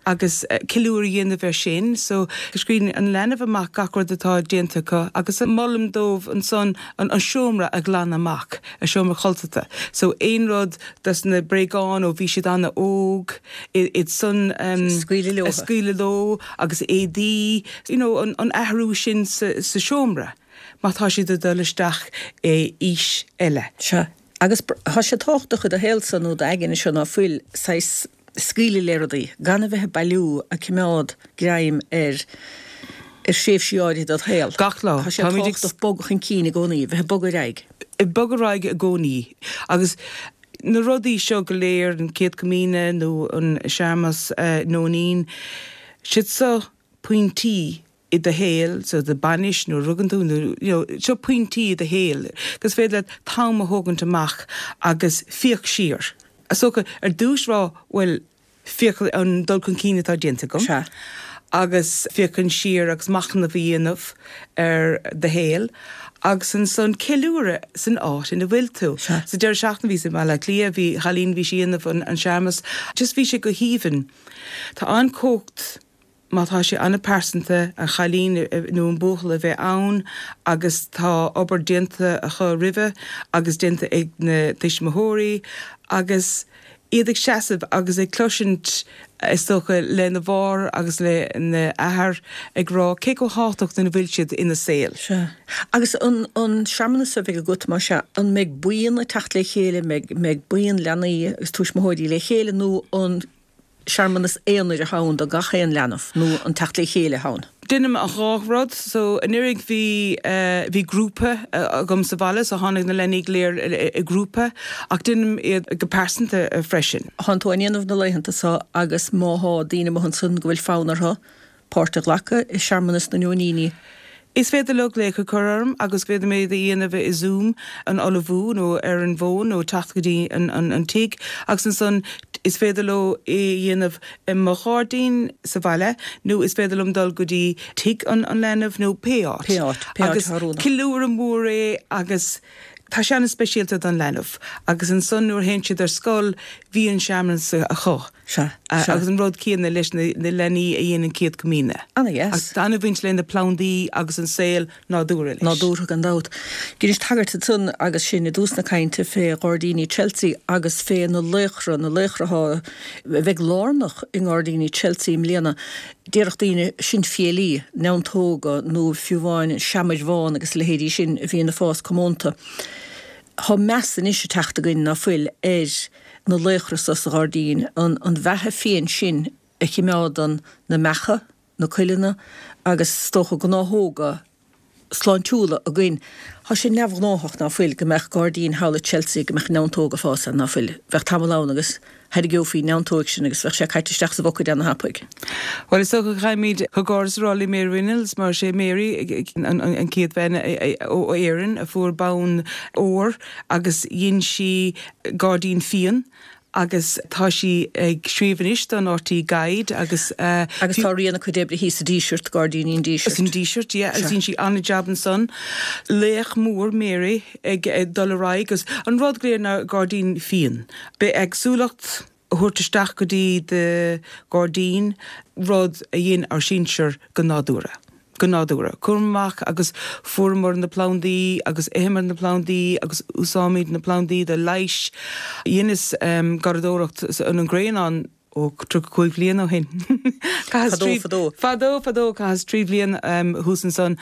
agus ceiliúradh a dhéanamh air sin. So scríobhann an leanbh amach gach rud atá déanta acu agus molaim dóibh ansan an an seomra a ghlanadh amach, a seomra codlata. So aon rud dos na bréagáin ó bhí siad an-óg, iad san a scaoileadh leo agus éadaí, you know an an athrú sin sa sa seomra. má tá siad ag dul isteach i aois eile. Sea. Agus tá sé tábhachtach i do shaolsa nó d'aigne seo ná fuil, saghas scaoileadh le rudaí, gan a bheith ag bailiú, ag coimeád greim ar ar thréimhsí áirithe dod shaol. Gach lá. Tá sé tábhachtach bogadh chun cinn i gcónaí, bheith ag bogadh ar aghaidh. Ag bogadh ar aghaidh i gcónaí. Agus na rudaí seo go léir, an Chéad Chomaoine nó an searmanas Nóinín, siad seo pointí i do shaol, so do bainis nuair a rugann tú nó you know seo pointí i do shaol gur féidir leat t-am a thógaint amach agus féach siar. Is dócha ar dtús rá bhuel féach an dul chun cinn atá déanta agam Sea. agus féachaint siar agus machnamh a dhéanamh ar do shaol agus ansan ceiliúradh san áit ina bhfuil tú. Sea. Sa deireadh seachtaine bhíos i mBaile Átha Cliath, bhí chailín bhí sí ag déanamh an an searmanas just bhí sé go haoibhinn. Tá an-chumhacht Má tá sé an-pearsanta, an chailín nó an buachaill a bheith ann agus tá obair déanta acu roimhe agus déanta ag na tuismitheoirí agus iad ag seasamh agus ag cloisint is dócha lena mháthair agus lena athair ag rá cé chomh tábhachtach ina bhfuil siad ina saol. Sea. Agus an an searmanas a bheidh agat, más ea, an mbeidh buíon ag teacht le chéile, an mbeidh mbeidh buíon leanaí agus tuismitheoirí le chéile nó an searmanas aonair atá ann do gach aon leanbh nó an teacht le chéile atá ann? Déanaim an dhá rud. So anuraidh bhí bhí grúpa agam sa bhaile so tháinig na leanaí go léir i grúpa ach déanaim iad go pearsanta freisin. Thánn tú á ndéanamh na laethanta so agus má thá daoine amuigh ansan go bhfuil fonn orthu páirt a ghlacadh i searmanas na Nóiníní. Is féidir leo glaoch a chur orm agus féadfaidh mé iad a dhéanamh i Zoom, an ullmhú nó ar an bhfón nó teacht go dtí an tigh agus ansan is féidir leo é a dhéanamh i mo ghairdín sa bhaile nó is féidir liom dul go dtí tigh an leanbh nó pé áit. Pé áit, pé áit Agus atá oiriúnach. ceiliúradh mór é agus tá sé an-speisialta don leanbh agus ansan nuair a théann siad ar scoil bhí an searmanas acu. Sea, sea. Agus an rud céanna leis na leanaí a dhéanann Céad Comaoine. Ana-dheas. Agus tá an-bhaint le na plandaí agus an saol nádúrtha leis. Nádúrtha gan dabht. Dheinis tagairt ansan agus sinn i dtús na cainte fé Ghairdíní Chelsea agus fé na laochra, na laochra atá, a bheidh lárnach i nGairdíní Chelsea i mbliana. Déarfadh daoine sin fiailí, neantóga nó fiú amháin an seamair bhán agus a leithéidí sin a bhíonn ag fás comónta. Tá meas anois ag teacht againn, ná fuil, ar na laochra so sa ghairdín, an bheatha fiain sin a chimeádann na mbeacha, na cuileanna agus is dócha gnáthóga sláintiúla againn. Tá sé neamhghnáthach, ná fuil, go mbeadh gairdín thall i Chelsea, go mbeadh neantóg ag fás ann, ná fuil. Bheadh tamall ann agus thairgeofaí neantóig sin agus bheadh sé caite isteach sa bhucaed ana-thapaidh. Bhuel, is dócha go gcaithfimid comhghairdeas a rá le Mary Reynolds mar is é Mary an chéad bhean ó Éirinn a fuair bonn óir agus dhein sí gairdín fiáin agus tá sí ag scríobh anois don RTÉ Guide agus. Agus tá rian a cuid oibre thíos sa Díseart, Gairdíní an Dísirt. San Díseart, yeah, agus dhein sí an-jab ansan. Laoch mór Mary ag dul ar aghaidh agus an rud go léir ná gairdín fiáin. Bithéagsúlacht a thabhairt isteach go dtí do ghairdín, rud a dhein ár sinsir go nádúrtha. Go nádúrtha. Chuamar amach agus fuaireamar na plandaí agus itheamar na plandaí agus úsáimid na plandaí do leighis. Dheineas garraíodóireacht an Ghrianán ó 35 bhliain ó shin. Fadó, fadó. Fadó, fadó, chaitheas 3 bhliain thuas ansan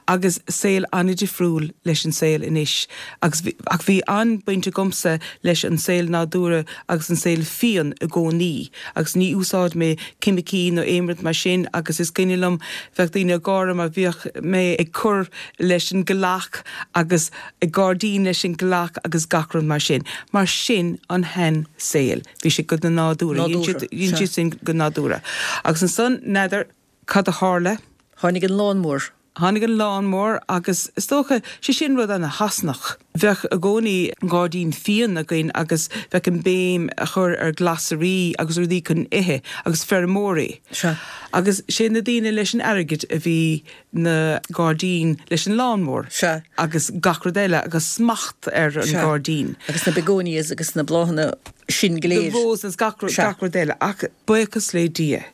agus saol an-difriúil leis an saol anois. Agus ach bhí an-baint agamsa leis an saol nádúrtha agus an saol fiáin i gcónaí agus ní úsáid mé ceimicí nó aon rud mar sin agus is cuimhin liom bheadh daoine ag gáire mar bhíodh mé ag cur leis an gcloch agus ag gairdín leis an gcloch agus gach rud mar sin. Mar sin an shean saol. Bhí sé go nádúrtha. Dhein siad sin go nádúrtha. Agus ansan, n'fheadar cad a tharla. Tháinig an lán mór. Tháinig an lawnmower agus is dócha, sé sin rud ana-Shasanach. Bheadh i gcónaí gairdín fíon againn agus bheadh an béim a chur ar glasraí agus rudaí chun ithe agus feirmeoirí. Sea. Agus sé na daoine leis an airgead a bhí na gairdín leis an lawnmower. Sea. Agus gach rud eile agus smacht ar an Sea. gairdín. Agus na begonias agus na bláthanna sin go The léir. roses, gach rud, Sea. gach rud eile. Ach buíochas le Dia.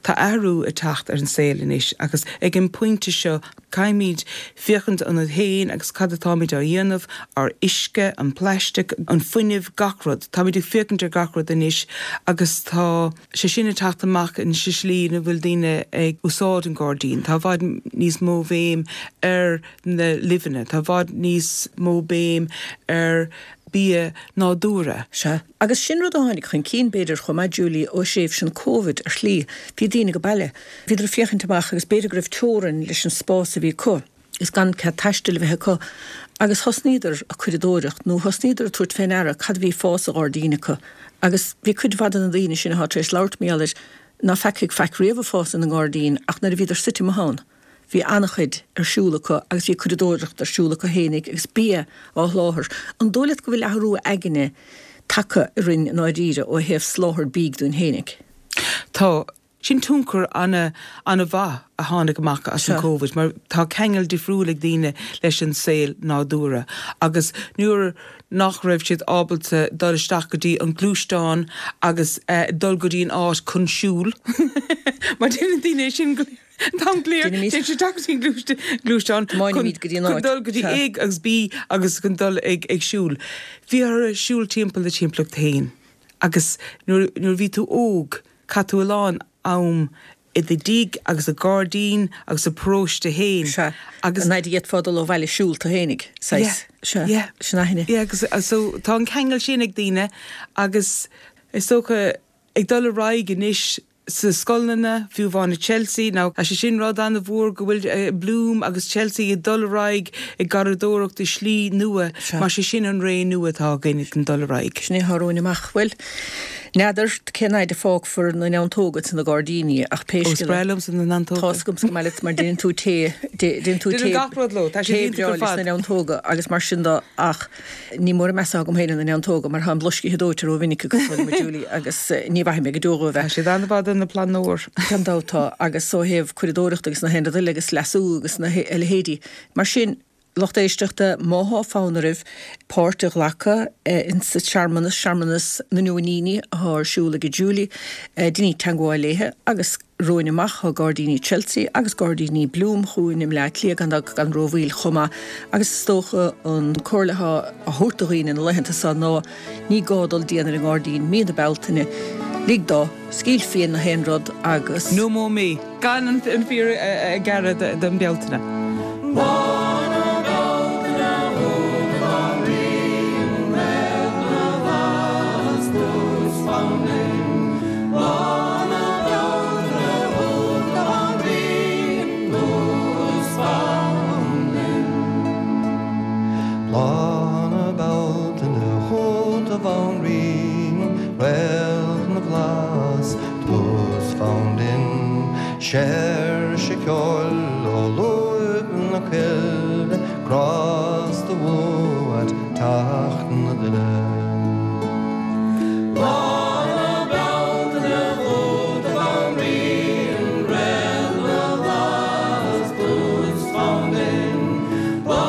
Tá athrú ag teacht ar an saol anois agus ag an bpointe seo caithfimid féachaint ionainn féin agus cad atáimid á dhéanamh, ár uisce, an plaisteach, an fuinneamh, gach rud. Táimid ag féachaint ar gach rud anois agus tá sé sin ag teacht amach in sa slí ina bhfuil daoine ag úsáid an gairdín. Tá i bhfad níos mó bhéim ar na luibheanna, tá i bhfad níos mó béim ar bia nádúrtha. Sea. Agus sin rud a tháinig chun cinn, b'fhéidir, chomh maith, Julie, ó thréimhse an Covid, ar shlí. Bhí daoine ag baile. Bhíodar ag féachaint amach agus b'fhéidir go raibh teorainn leis an spás a bhí acu, is gan cead taistil a bheith acu, agus thosnaíodar ag curadóireacht, nó thosnaíodar ag tabhairt fé ndeara cad a bhí ag fás sa ghairdín acu. Agus bhí cuid mhaith de na daoine sin athá tar éis labhairt mar gheall air, ná feacaigh faic riamh ag fás ina ngairdín ach nuair a bhíodar suite amuigh ann. Bhí an-chuid ar siúl acu agus bhí curadóireacht ar siúl acu fhéinig agus bia á sholáthar. An dóigh leat go bhfuil athrú aigne tagtha orainn i ndáiríre ó thaobh soláthar bídh dúinn fhéinig? Tá. Sin tionchar ana, ana-mhaith a tháinig amach as an Covid mar tá ceangal difriúil ag daoine leis an saol nádúrtha agus nuair nach raibh siad ábalta dul isteach go dtí an gluaisteán agus dul go dtí an áit chun siúl mar déanann daoine é sin go An t-am go léir, téann siad isteach go dtí an gluaisteán chun dul go dtí A agus B agus chun dul ag siúl. Bhí orthu siúl timpeall na timpeallacht féin agus nuair a bhí tú óg, chaith tú a lán am i do dtigh agus sa ghairdín agus sa bparóiste féin. Sea, agus an fhaid a d'fhéadfá dul ó bhaile siúlta fhéinig, saghas. Sea, sin aithne. Yeah, agus so tá an ceangal sin ag daoine agus is dócha ag dul ar aghaidh anois, sa scoileanna, fiú amháin i Chelsea. Now, tá sé sin rud an-mhór go bhfuil Bloom agus Chelsea ag dul ar aghaidh ag garraíodóireacht i slí nua mar sé sin an ré nua atá againn ag dul ar aghaidh. Sin é atá romhainn amach. Bhuel, n'fheadar cén fhaid a fágfar na neantóga sna gairdíní ach pé Ó, is scéal breá é, liomsa na neantóga. tá's agamsa go maith leat mar déanann tú tae, déanann tú Déanaim tae, gach rud leo, tá siad tae iontach breá ar leis fad. na neantóga agus mar sin de ach Ní mór an meas atá agam féin ar na neantóga mar tá an bloiscithe dóite rómhinic acu, dar liom, a Julie, agus ní mhaithfidh mé go deo dhóibh é. Tá siad an-mhaith do na plandóir. Gan dabht tá, agus ó thaobh curadóireachta agus na haon rud eile agus leasú agus na a leithéidí. Mar sin, lucht éisteachta, má thá fonn oraibh páirt a ghlacadh insa searmanas, searmanas na Neoiníní athá ar siúl ag Julie, deinigí teangmháil léithe agus. Romhainn amach tá Gairdíní Chelsea agus Gairdíní Bloom chugainn i mBleá Cliath gan dabht gan rómhoill chomh maith agus is dócha an comhairle atá á thabhairt do dhaoine na laethanta seo ná ní gá dul dian ar an ngairdín mí na Bealtaine, lig dó, scaoil faoi na haon rud agus. No mo mí, gan an féar a ghearradh don Bealtaine. Lá na Bealtaine chugat a Bhanríon, Réalt na bhFlaitheas, tús fonn binn, Séirse ceoil ó lúib na coille, Grásta uait teacht na duine. Lá na Bealtaine chugat a Bhanríon, Réalt na bhFlaitheas, tús fonn binn, Lá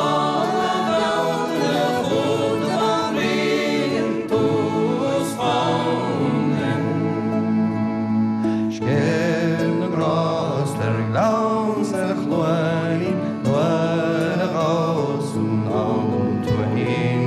na Bealtaine chugat a Bhanríon, tús fonn binn. Scéimh na ngrást ar ghleann 's ar chluainín nuair a ghabhas anonn an tuaithín.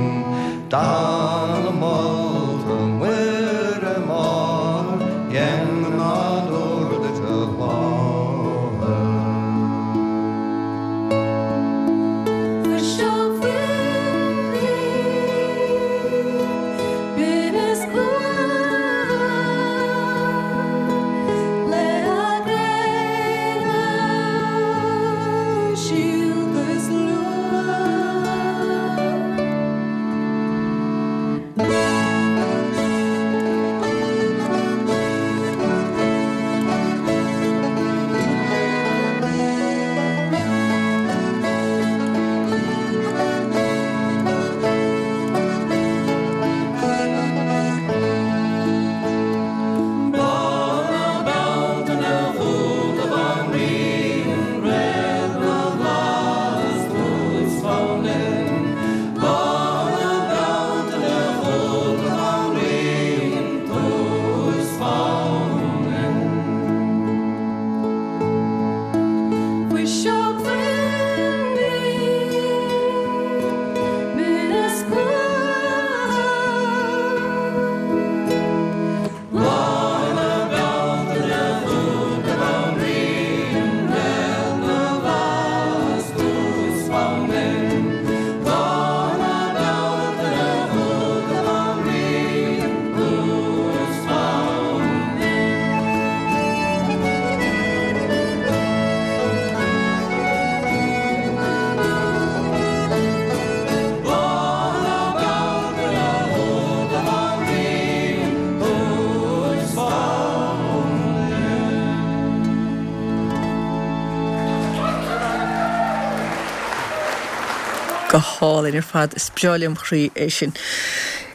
Go hálainn ar fad. Is breá lem chroí é sin.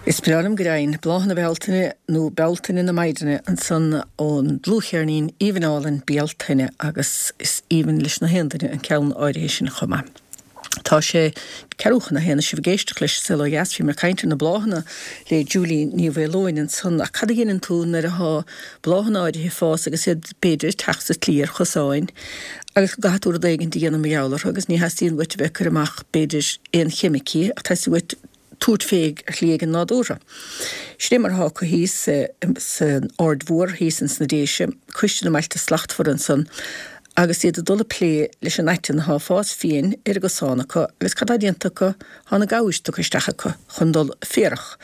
Is breá liom go deimhin. Bláthanna Bealtaine nó Bealtaine na Maighdine ansan ón dlúthcheirnín aoibhinn álainn Bealtaine agus is aoibhinn leis na haon duine an ceann áirithe sin chomh maith. Tá sé ceathrú chun a haon is sibh ag éisteacht leis An Saol Ó Dheas. Bhíomar ag caint ar na bláthanna le Julie Ní Mhaoileoin ansan ach cad a dheineann tú nuair athá bláthanna áirithe ag fás agus iad b'fhéidir ag teacht sa tslí ar chosáin agus go gcaithfidh tú rud éigin a dhéanamh mar gheall orthu agus ní theastaíonn uait a bheith ag cur amach b'fhéidir aon cheimicí ach teastaíonn uait tabhairt fé ar shlí éigin nádúrtha. Sin é mar atá acu thíos san Aird Mhór thíos ins na Déise, Coiste na mBailte Slachtmhara ansan agus iad ag dul ag plé leis an aiteann atá ag fás fiain ar an gcosán acu agus cad tá déanta acu? Tá na gabhair tugtha isteach acu chun dul ag féarach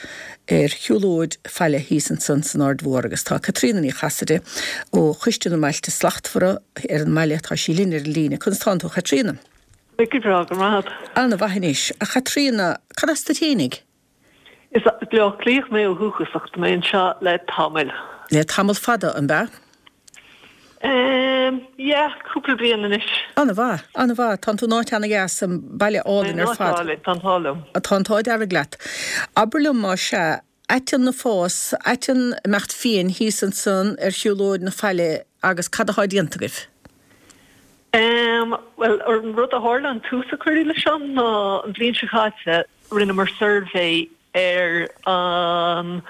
ar shiúlóid faille thíos ansan san Aird Mhór agus tá Caitríona Ní Chasaide ó Choiste na mBailte Slachtmhara ar an mbaile, tá sí linn ar an líne. Conas tánn tú a Chaitríona? Go breá, go raibh maith agat. Ana-mhaith anois. A Chaitríona, cad as duit fhéinig? Is as Bleá Cliath mé ó dhúchas ach tá mé anseo le tamall. Le tamall fada, an b'ea? Ehm, yeah, cúpla bliain anois. Ana-mhaith, ana-mhaith. Tánn tú in áit ana-dheas, an baile álainn ar fad. Tá mé in áit álainn, tá an t-ádh liom. Tá an t-ádh dearg leat. Abair liom, más ea, aiteann ag fás, aiteann ag imeacht fiain thíos ansan ar shiúlóid na faille agus cad athá déanta agaibh? Ehm, bhuel, an rud a tharla, an tús a cuireadh leis seo ná an bhliain seo caite rinneamar suirbhé ar an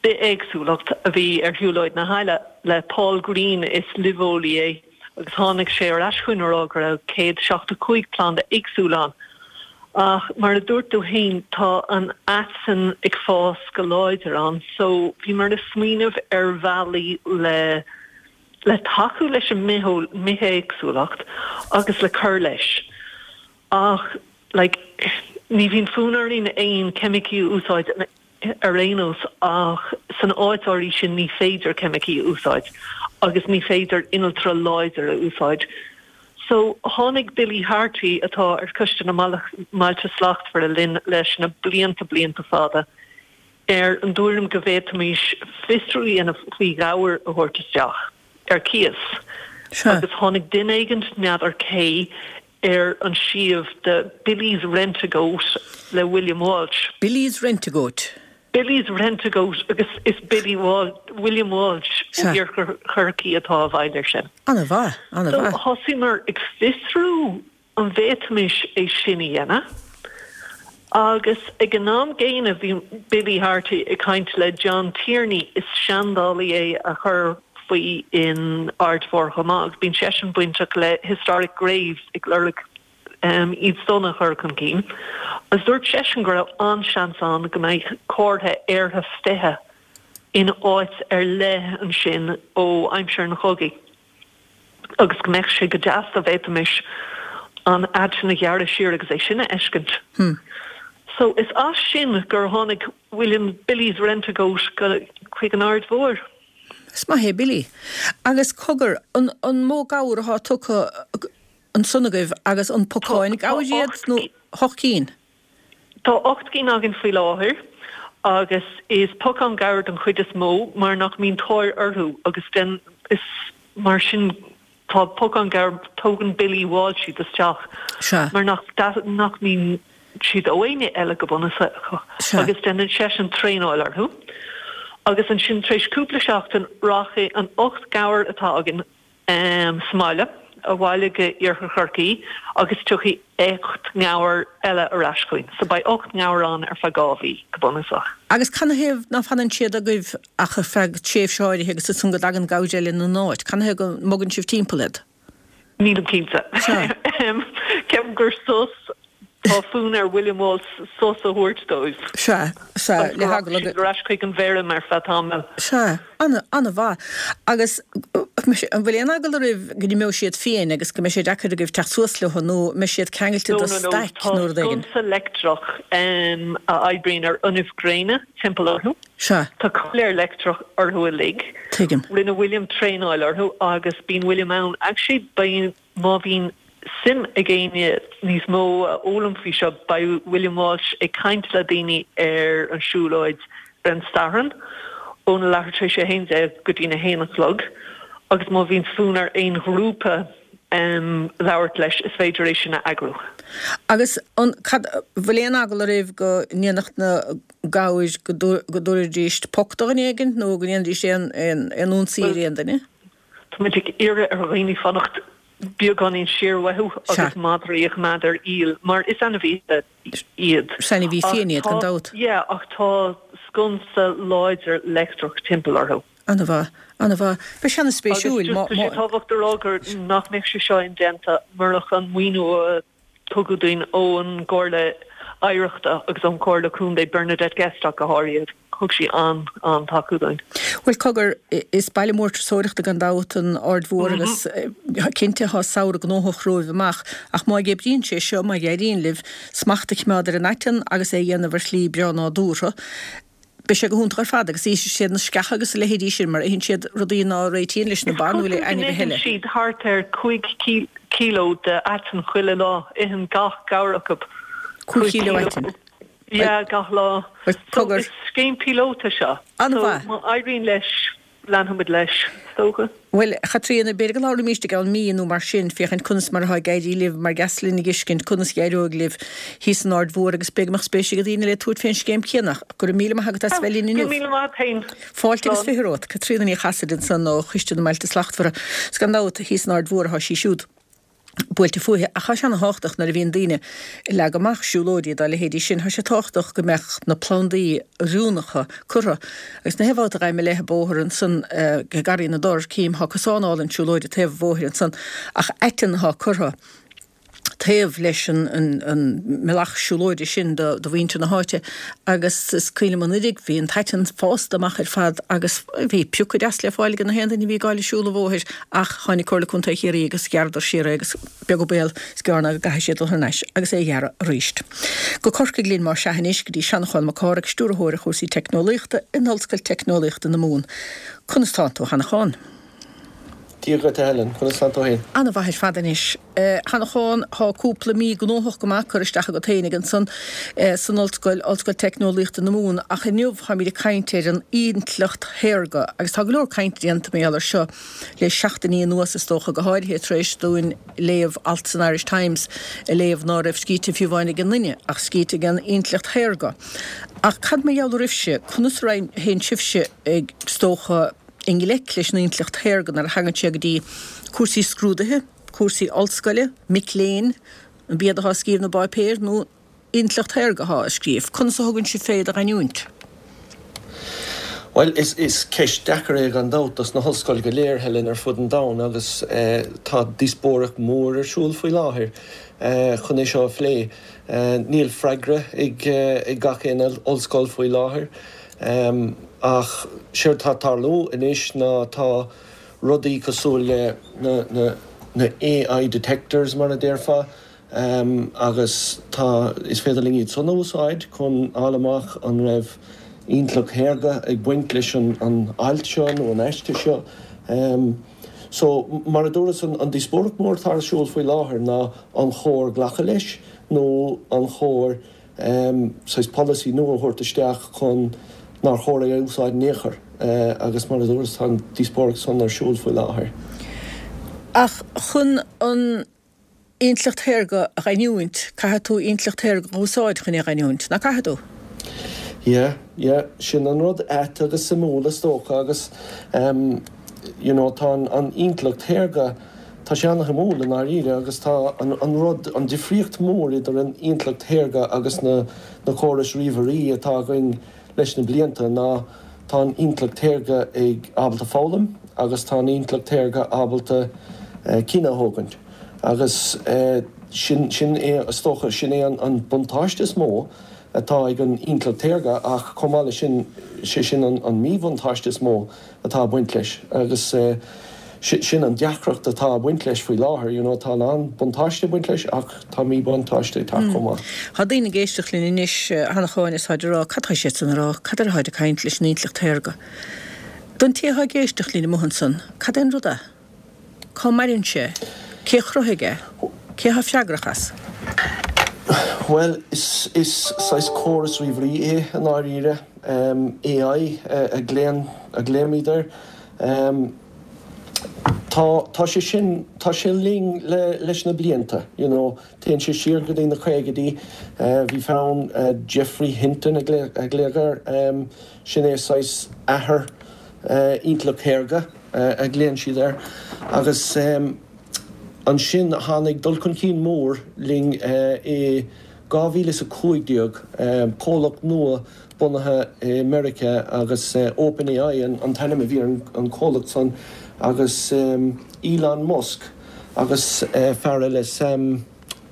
bithéagsúlacht a bhí ar Shiúlóid na hAille le Paul Greene, is luibheolaí é, agus tháinig sé ar ais chugainn a rá go raibh 175 planda éagsúil ann. Ach mar a dúirt tú féin, tá an aiteann ag fás go láidir ann so bhíomar ag smaoineamh ar bhealaí le le tacú leis an mbithéagsúlacht agus le cur leis. Ach like ní bhíonn fonn orainn aon ceimicí a úsáid ar aon nós ach san áit áirithe sin ní féidir ceimicí a úsáid agus ní féidir innealtra láidir a úsáid. So tháinig Billy Harte atá ar Choiste na mBailte Slachtmhara linn leis na blianta blianta fada ar an dtuairim go bhféadfaimis fiosrú a dhéanamh faoi ghabhair a thabhairt isteach ar cíos agus tháinig duine éigint, n'fheadar cé, ar an suíomh de Billy's Rent-A-Goat le William Walsh. Billy's Rent-A-Goat. Billy's Rent-A-Goat agus is Billy Walsh, William Walsh ó Iarthar Chorcaí atá i bhfeighil air sin. Ana-mhaith, ana-mhaith. So thosaíomar ag fiosrú an bhféadfaimis é sin a dhéanamh agus ag an am gcéanna bhí Billy Harte ag caint le John Tierney, is seandálaí é a chuir faoi in Aird Mhór chomh maith agus bíonn seisean bainteach le Historic Graves ag lorg iad san a chur chun cinn agus dúirt seisean go raibh an-seans ann go mbeadh comhartha aortha 20 in áit ar leith ansin ó aimsir an chogaidh agus go mbeadh sé go deas dá bhféadfaimis an aiteann a ghearradh siar agus é sin a fheiscint. So is as sin gur tháinig William Billy's Rent-A-Goat chuig an Aird Mhóir. Is maith é Billy. Agus cogar, an an mó gabhar athá tugtha ansan agaibh agus an pocáin gabhair iad nó hocht cinn? Tá 8 gcinn againn faoi láthair agus is pocáin gabhar den chuid is mó mar nach mbíonn tóir orthu agus den is mar sin Tá pocáin gabhar, tógann Billy Walsh iad isteach mar nach nach mbíonn siad ó éinne eile go bunúsach agus déanann seisean traenáil orthu agus ansin tar éis cúpla seachtain rachaidh an 8 gabhar atá againn sa mbaile abhaile go Iarthar Chorcaí agus tiocfaidh 8 ngabhar eile ar ais chugainn. So beidh 8 ngabhar ann ar feadh 2 mhí go bunúsach. Agus canathaobh ná fanann siad agaibh ach ar feadh tréimhse áirithe agus ansan go dtagann gabhair eile ina n-áit? Canathaobh go mbogann sibh timpeall iad? Nílim cinnte. Ceapaim gur sos, tá fonn ar William Walsh sos a thabhairt dóibh. Sea, sea, le heagla go. Ar ais chuig an bhfeirm ar feadh tamaill. Sea, ana, ana-mhaith. Agus an bhfuil aon eagla oraibh go n-imeoidh siad fiain agus go mbeidh sé deacair agaibh teacht suas leo nó an mbeidh siad ceangailte do staic nó rud éigin? No, no, tá sconsa leictreach a oibríonn ar fhuinneamh gréine timpeall orthu. Sea. Tá coiléar leictreach orthu uilig. Tuigim. Rinne William traenáil orthu agus bíonn William ann. Actually, beidh, má bhíonn suim ag éinne níos mó a fhoghlaim faoi seo, beidh William Walsh ag caint le daoine ar an siúlóid ar an Satharn óna leathuair tar éis a 11 go dtí'n 1 a chlog agus má bhíonn fonn ar aon ghrúpa. Labhairt leis, is féidir é sin a eagrú. Agus an, cad, bhfuil aon eagla oraibh go ndéanfadh na gabhair, go dtabharfaidís poc do dhuine éigin nó go ndéanfaidís aon, aon, aon ionsaí ar aon duine? Tá muid ag iarraidh ar dhaoine fanacht beagáinín siar uathu agus madraí a choimeád ar iall mar is ainmhithe iad. Is ainmhí fiáin iad, gan dabht. Yeah, ach tá sconsa láidir leictreach timpeall orthu. An-mhaith, an-mhaith. Beidh sé an-spéisiúil. Agus just tá sé tábhachtach a rá gur nach mbeadh sé seo indéanta murach an maoiniú a tugadh dúinn ón gComhairle Oidhreachta agus ón Chomhairle Contae, Bernadette Guest ach go háirithe. Thug sí an-an-tacú dúinn. Bhuel, cogar, is baile mór turasóireachta gan dabht an Aird Mhór agus cinnte tá samhradh gnóthach romhaibh amach ach má oibríonn sé seo, má éiríonn libh smacht a choimeád ar an aiteann agus é a dhéanamh ar shlí breá nádúrtha, Beidh sé go hiontach ar fad agus íosfaidh siad na sceacha agus a leithéidí sin mar itheann siad rudaí ná réitíonn leis na ba nó le Is cosúil go ainmhithe n-itheann eile. siad thart ar 5 kilo de aiteann chuile lá. Itheann gach gabhar acu 5 kilo aitinn. Yeah, gach lá. Bhuel, So, cogar. is scéim píolóta seo. An-mhaith. So, má éiríonn leis, Leanfaimid leis, is dócha. Bhuel, a Chaitríona, b'fhéidir go labhróimíst i gceann mí nó mar sin, féachaint conas mar atá ag éirí libh, mar dheas linn a dh'fheiscint conas a dh'éireoidh libh thíos san Aird Mhór agus b'fhéidir go mbeadh spéis ag daoine eile tabhairt fén scéim chéanna. Go raibh míle maith agat as bheith linn Go inniu. raibh míle maith agat féin. Fáilte agus Slán. 20 romhat. Caitríona Ní Chasaide ansan ó Choiste na mBailte Slachtmhara. 'S gan dabht, thíos san Aird Mhór atá sí siúd. buailte fúithi. Ach tá sé ana-thábhachtach nuair a bhíonn daoine ag leagadh amach siúlóidí dá leithéidí sin, tá sé tábhachtach go mbeadh na plandaí oiriúnacha curtha. Agus na haon bhabhta a ghabhaim i leith an bóthar ansan i nGarraí na dTor, cím, tá cosán álainn siúlóide taobh an bhóthair ansan ach aiteann atá curtha taobh leis an mbealach siúlóide sin do mhuintir na háite agus is cuimhin liom anuraidh bhí an t-aiteann fásta amach ar fad agus bhí piocadh deas le fáil ag na haon duine a bhí ag gabháil ag siúl an bhóthair Ach tháinig Comhairle Contae Chiarraí agus ghearradar siar é agus beag an baol is gearr ná go gcaithfidh siad dul thar n-ais agus é a ghearradh arís. Go Corcaigh linn más ea anois, go dtí Seanchán Mac Cárthaigh, Stiúrthóir ar chúrsaí Teicneolaíochta in Ollscoil Teicneolaíochta na Mumhan. Conas tánn tú, a Sheanacháin? Dia dhuit, a Helen. Conas tánn tú féin? Ana-mhaith ar fad anois. A Sheanacháin, thá cúpla mí gnóthach go maith curtha isteach agat fhéinig ansan san ollscoil, Ollscoil Teicneolaíochta na Mumhan, ach inniu táimid ag caint ar an intleacht shaorga agus tá go leor cainte déanta mar gheall air seo le seachtainí anuas is dócha, go háirithe tar éis dúinn léamh alt san Irish Times a léamh ná raibh scríte fiú amháin ag an nduine ach scríte ag an intleacht shaorga. Ach cad mar gheall oraibhse, conas a théann sibhse ag, is dócha, i ngleic leis an intleacht shaorga nuair a thagann sé go dtí cúrsaí scrúduithe, cúrsaí ollscoile, mic léinn, an b'iad atá ag scríobh na bpáipéar nó intleacht shaorga atá á scríobh. Conas a thugann sibh fé do gheinniúint? Bhuel, is ceist deacair é gan dabht dos na hollscoil go léir, Helen, ar fud an domhain agus tá díospóireacht mhór ar siúl faoi láthair chun é seo a phlé. Níl freagra ag gach aon ollscoil faoi láthair. Ach séard tá ag tarlú anois ná tá rudaí cosúil le na na AI detectors mar a déarfá agus tá, is féidir linn iad san a úsáid chun fháil amach an raibh intleacht shaorga ag baint leis an an alt seo nó an aiste seo. So, mar a dúras, an díospóireacht mór atá ar siúl faoi láthair ná an chóir glacadh leis nó an chóir saghas polasaí nua a thabhairt isteach chun nár chóir é a úsáid in aon chor agus mar a dúras tá an díospóireacht san ar siúl faoi láthair. Ach chun an intleacht shaorga a gheinniúint, caithfidh tú intleacht shaorga a úsáid chun é a gheinniúint, nach gcaithfidh tú? Yeah, yeah, sin an rud ait agus suimiúil is dócha agus you know tá an intleacht shaorga, Tá sé ana-shuimiúil i ndáiríre agus tá an rud, an difríocht mhór idir an intleacht shaorga agus na na córais ríomhairí atá againn leis na blianta ná tá an intleacht shaorga ag ábalta foghlaim agus tá an intleacht shaorga ábalta cinneadh a thógaint agus sin sin é is dócha sin é an buntáiste is mó atá ag an intleacht shaorga ach chomh maith leis sin sé sin an míbhuntáiste is mó atá ag baint leis agus sin an deacracht atá ag baint leis faoi láthair, you know, tá a lán buntáiste ag baint leis ach tá míbhuntáiste ag teacht chomh maith. Tá daoine ag éisteacht linn anois, a Sheanacháin, is táid ag rá, cad tá siad san a rá, cad air atáid ag caint leis an intleacht shaorga? Don té atá ag éisteacht linn amuigh ansan, cad é an rud é? Cá maireann sé? Cé a chruthaigh é? Cé atá freagrach as? Bhuel, is saghas córas ríomhairí é i ndáiríre, AI a glaoimid air. Tá, tá sé sin, tá sé linn le, leis na blianta, you know, téann sé siar go dtí na caogaidí, bhí fear ann, Geoffrey Hinton a glaodh air, sin é saghas athair intleacht shaorga a ghlaonn siad air, agus ansin tháinig dul chun cinn mór linn i 2015, comhlacht nua bunaithe i Meiriceá agus OpenAI an t-ainm a bhí ar an chomhlacht san agus Elon Musk agus fear eile Sam,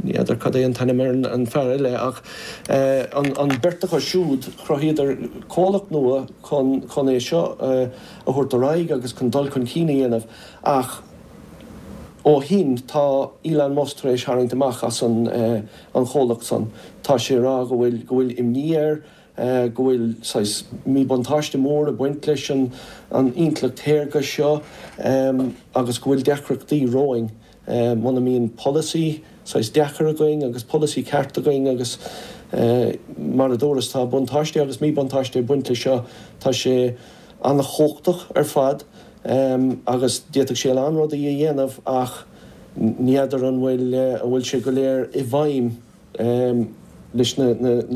ní fheadar cad é an t-ainm ar an fear eile ach an beirt acu siúd chruthaíodar comhlacht nua chun chun é seo a thabhairt ar aghaidh agus chun dul chun cinn a dhéanamh ach ó shin tá Elon Musk tar éis tharraingt amach as an an chomhlacht san. Tá sé ag rá go bhfuil, go bhfuil imní air, go bhfuil saghas míbhuntáiste mór ag baint leis an an intleacht shaorga seo agus go bhfuil deacrachtaí romhainn muna mbíonn polasaí saghas deacair againn agus polasaí ceart againn agus mar a dúras tá buntáiste agus míbhuntáiste ag baint leis seo. Tá sé an-chumhachtach ar fad agus d'fhéadfadh sé a lán rudaí a dhéanamh ach Ní fheadar an bhfuil an bhfuil sé go léir i bhfeidhm leis na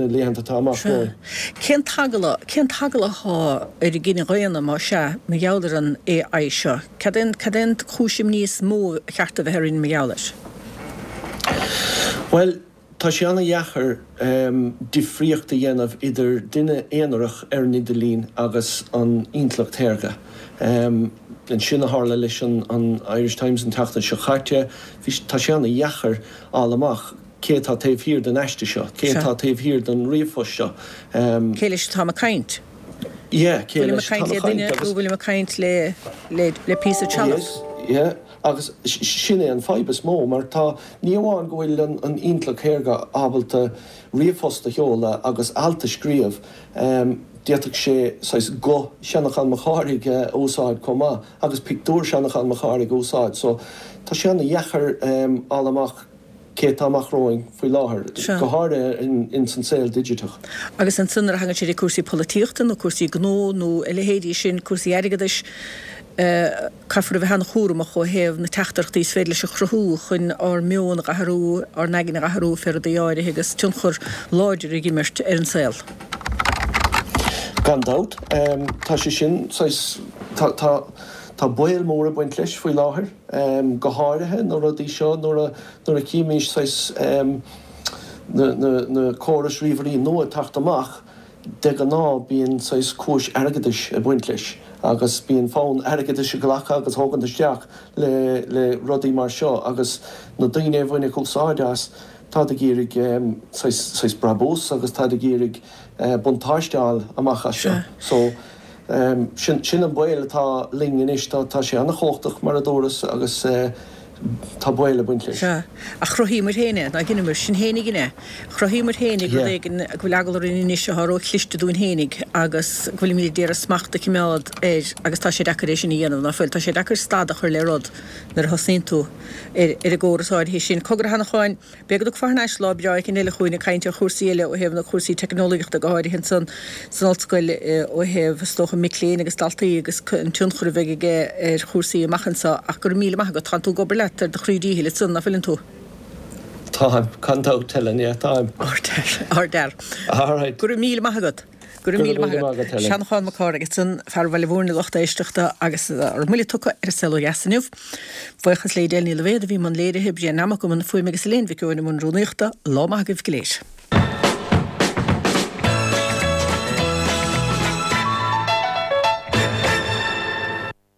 laethanta atá amach romhainn. Cén t-eagla, cén t-eagla atá ar an gcine dhaonna, má sea, mar gheall ar an AI seo? Cad é an, cad é an chúis imní is mó a cheart a bheith orainn mar gheall air? Bhuel, Tá sé an-dheacair difríocht a dhéanamh idir duine aonarach ar an idirlíon agus an intleacht shaorga. Sin a tharla leis an Irish Times an tseachtain seo caite. Tá sé an-dheacair fháil amach cé atá taobh thiar den aiste seo, cé atá taobh thiar den ríomhphost seo. Cé leis atáim ag caint? Yeah, cé leis atáim ag caint. Bhfuilim ag caint le duine nó bhfuilim ag caint le píosa trealaimh? Yeah. Agus sin é an fadhb is mó, mar tá, ní amháin go bhfuil an intleacht shaorga ábalta ríomhphost a sheoladh agus alt a scríobh, d'fhéadfadh sé saghas guth Sheanchán Mac Cárthaigh a úsáid chomh maith agus pictiúr Sheanchán Mac Cárthaigh a úsáid. So, tá sé an-dheacair fháil amach cé atá amach romhainn faoi láthair, go háirithe ins an saol digiteach. Agus ansan nuair a thagann sé ag cúrsaí polaitíochta nó cúrsaí gnó nó a leithéidí sin, cúrsaí airgeadais, caithfear a bheith an-chúramach ó thaobh na teachtaireachtaí is féidir leis a chruthú chun ár meon a dh'athrú, ár n-aigne a dh'athrú fé rudaí áirithe agus tionchar láidir ag imirt ar an saol. Gan dabht. Tá sé sin saghas, tá, tá, tá baol mór ag baint leis faoi láthair. Go háirithe na rudaí seo nuair a nuair a chímís saghas na na córais ríomhairí nua ag teacht amach, de ghnáth bíonn saghas cúis airgeadais ag baint leis agus bíonn fonn airgeadais a ghlacadh agus a thógaint isteach le le rudaí mar seo agus na daoine a bhainfeadh úsáid as, táid ag iarraidh saghas saghas brabús agus táid ag iarraidh buntáiste a fháil amach as seo. So. Sin an baol atá linn anois. Tá sé an-chumhachtach, mar a dúras, agus tá baol ag baint leis. Sea. Ach chruthaíomar féin é, nár dheineamar? Sinn féin a dhein é. Chruthaíomar féinig rud éigin go bhfuil eagla orainn anois atá ró-chliste dúinn féinig agus go bhfuilimid ag iarraidh smacht a chimeád air agus tá sé deacair é sin a dhéanamh, ná fuil? Tá sé deacair stad a chur le rud nuair a thosnaíonn tú ar an gcóras áirithe sin. Cogar a Sheanacháin. B'fhéidir go dtiocfá thar n-ais lá breá éicint eile chugainn ag caint ar chúrsaí eile ó thaobh na cúrsaí teicneolaíochta go háirithe ansan san ollscoil ó thaobh is dócha mic léinn agus daltaí agus an tionchar a bheidh aige ar chúrsaí amach anso ach go raibh míle maith agat. Tánn tú ag obair leat ar do chroí díchill ansan, ná fuileann tú? Táim, gan dabht, Helen, yeah, táim. Ardfhear, ardfhear. Alright. Go raibh míle maith agat. Go raibh míle maith agat. Seanchán Mac Cárthaigh ansan, fear Bhaile Mhúirne a lucht éisteachta agus ár mbuille tugtha ar an saol ó dheas inniu. Buíochas le Edel Ní Loibhéad a bhí i mbun léirithe, Brian Nammock i mbun fuaime agus Elaine Mhic Eoin i mbun rúnaíochta. Lá maith agaibh go léir.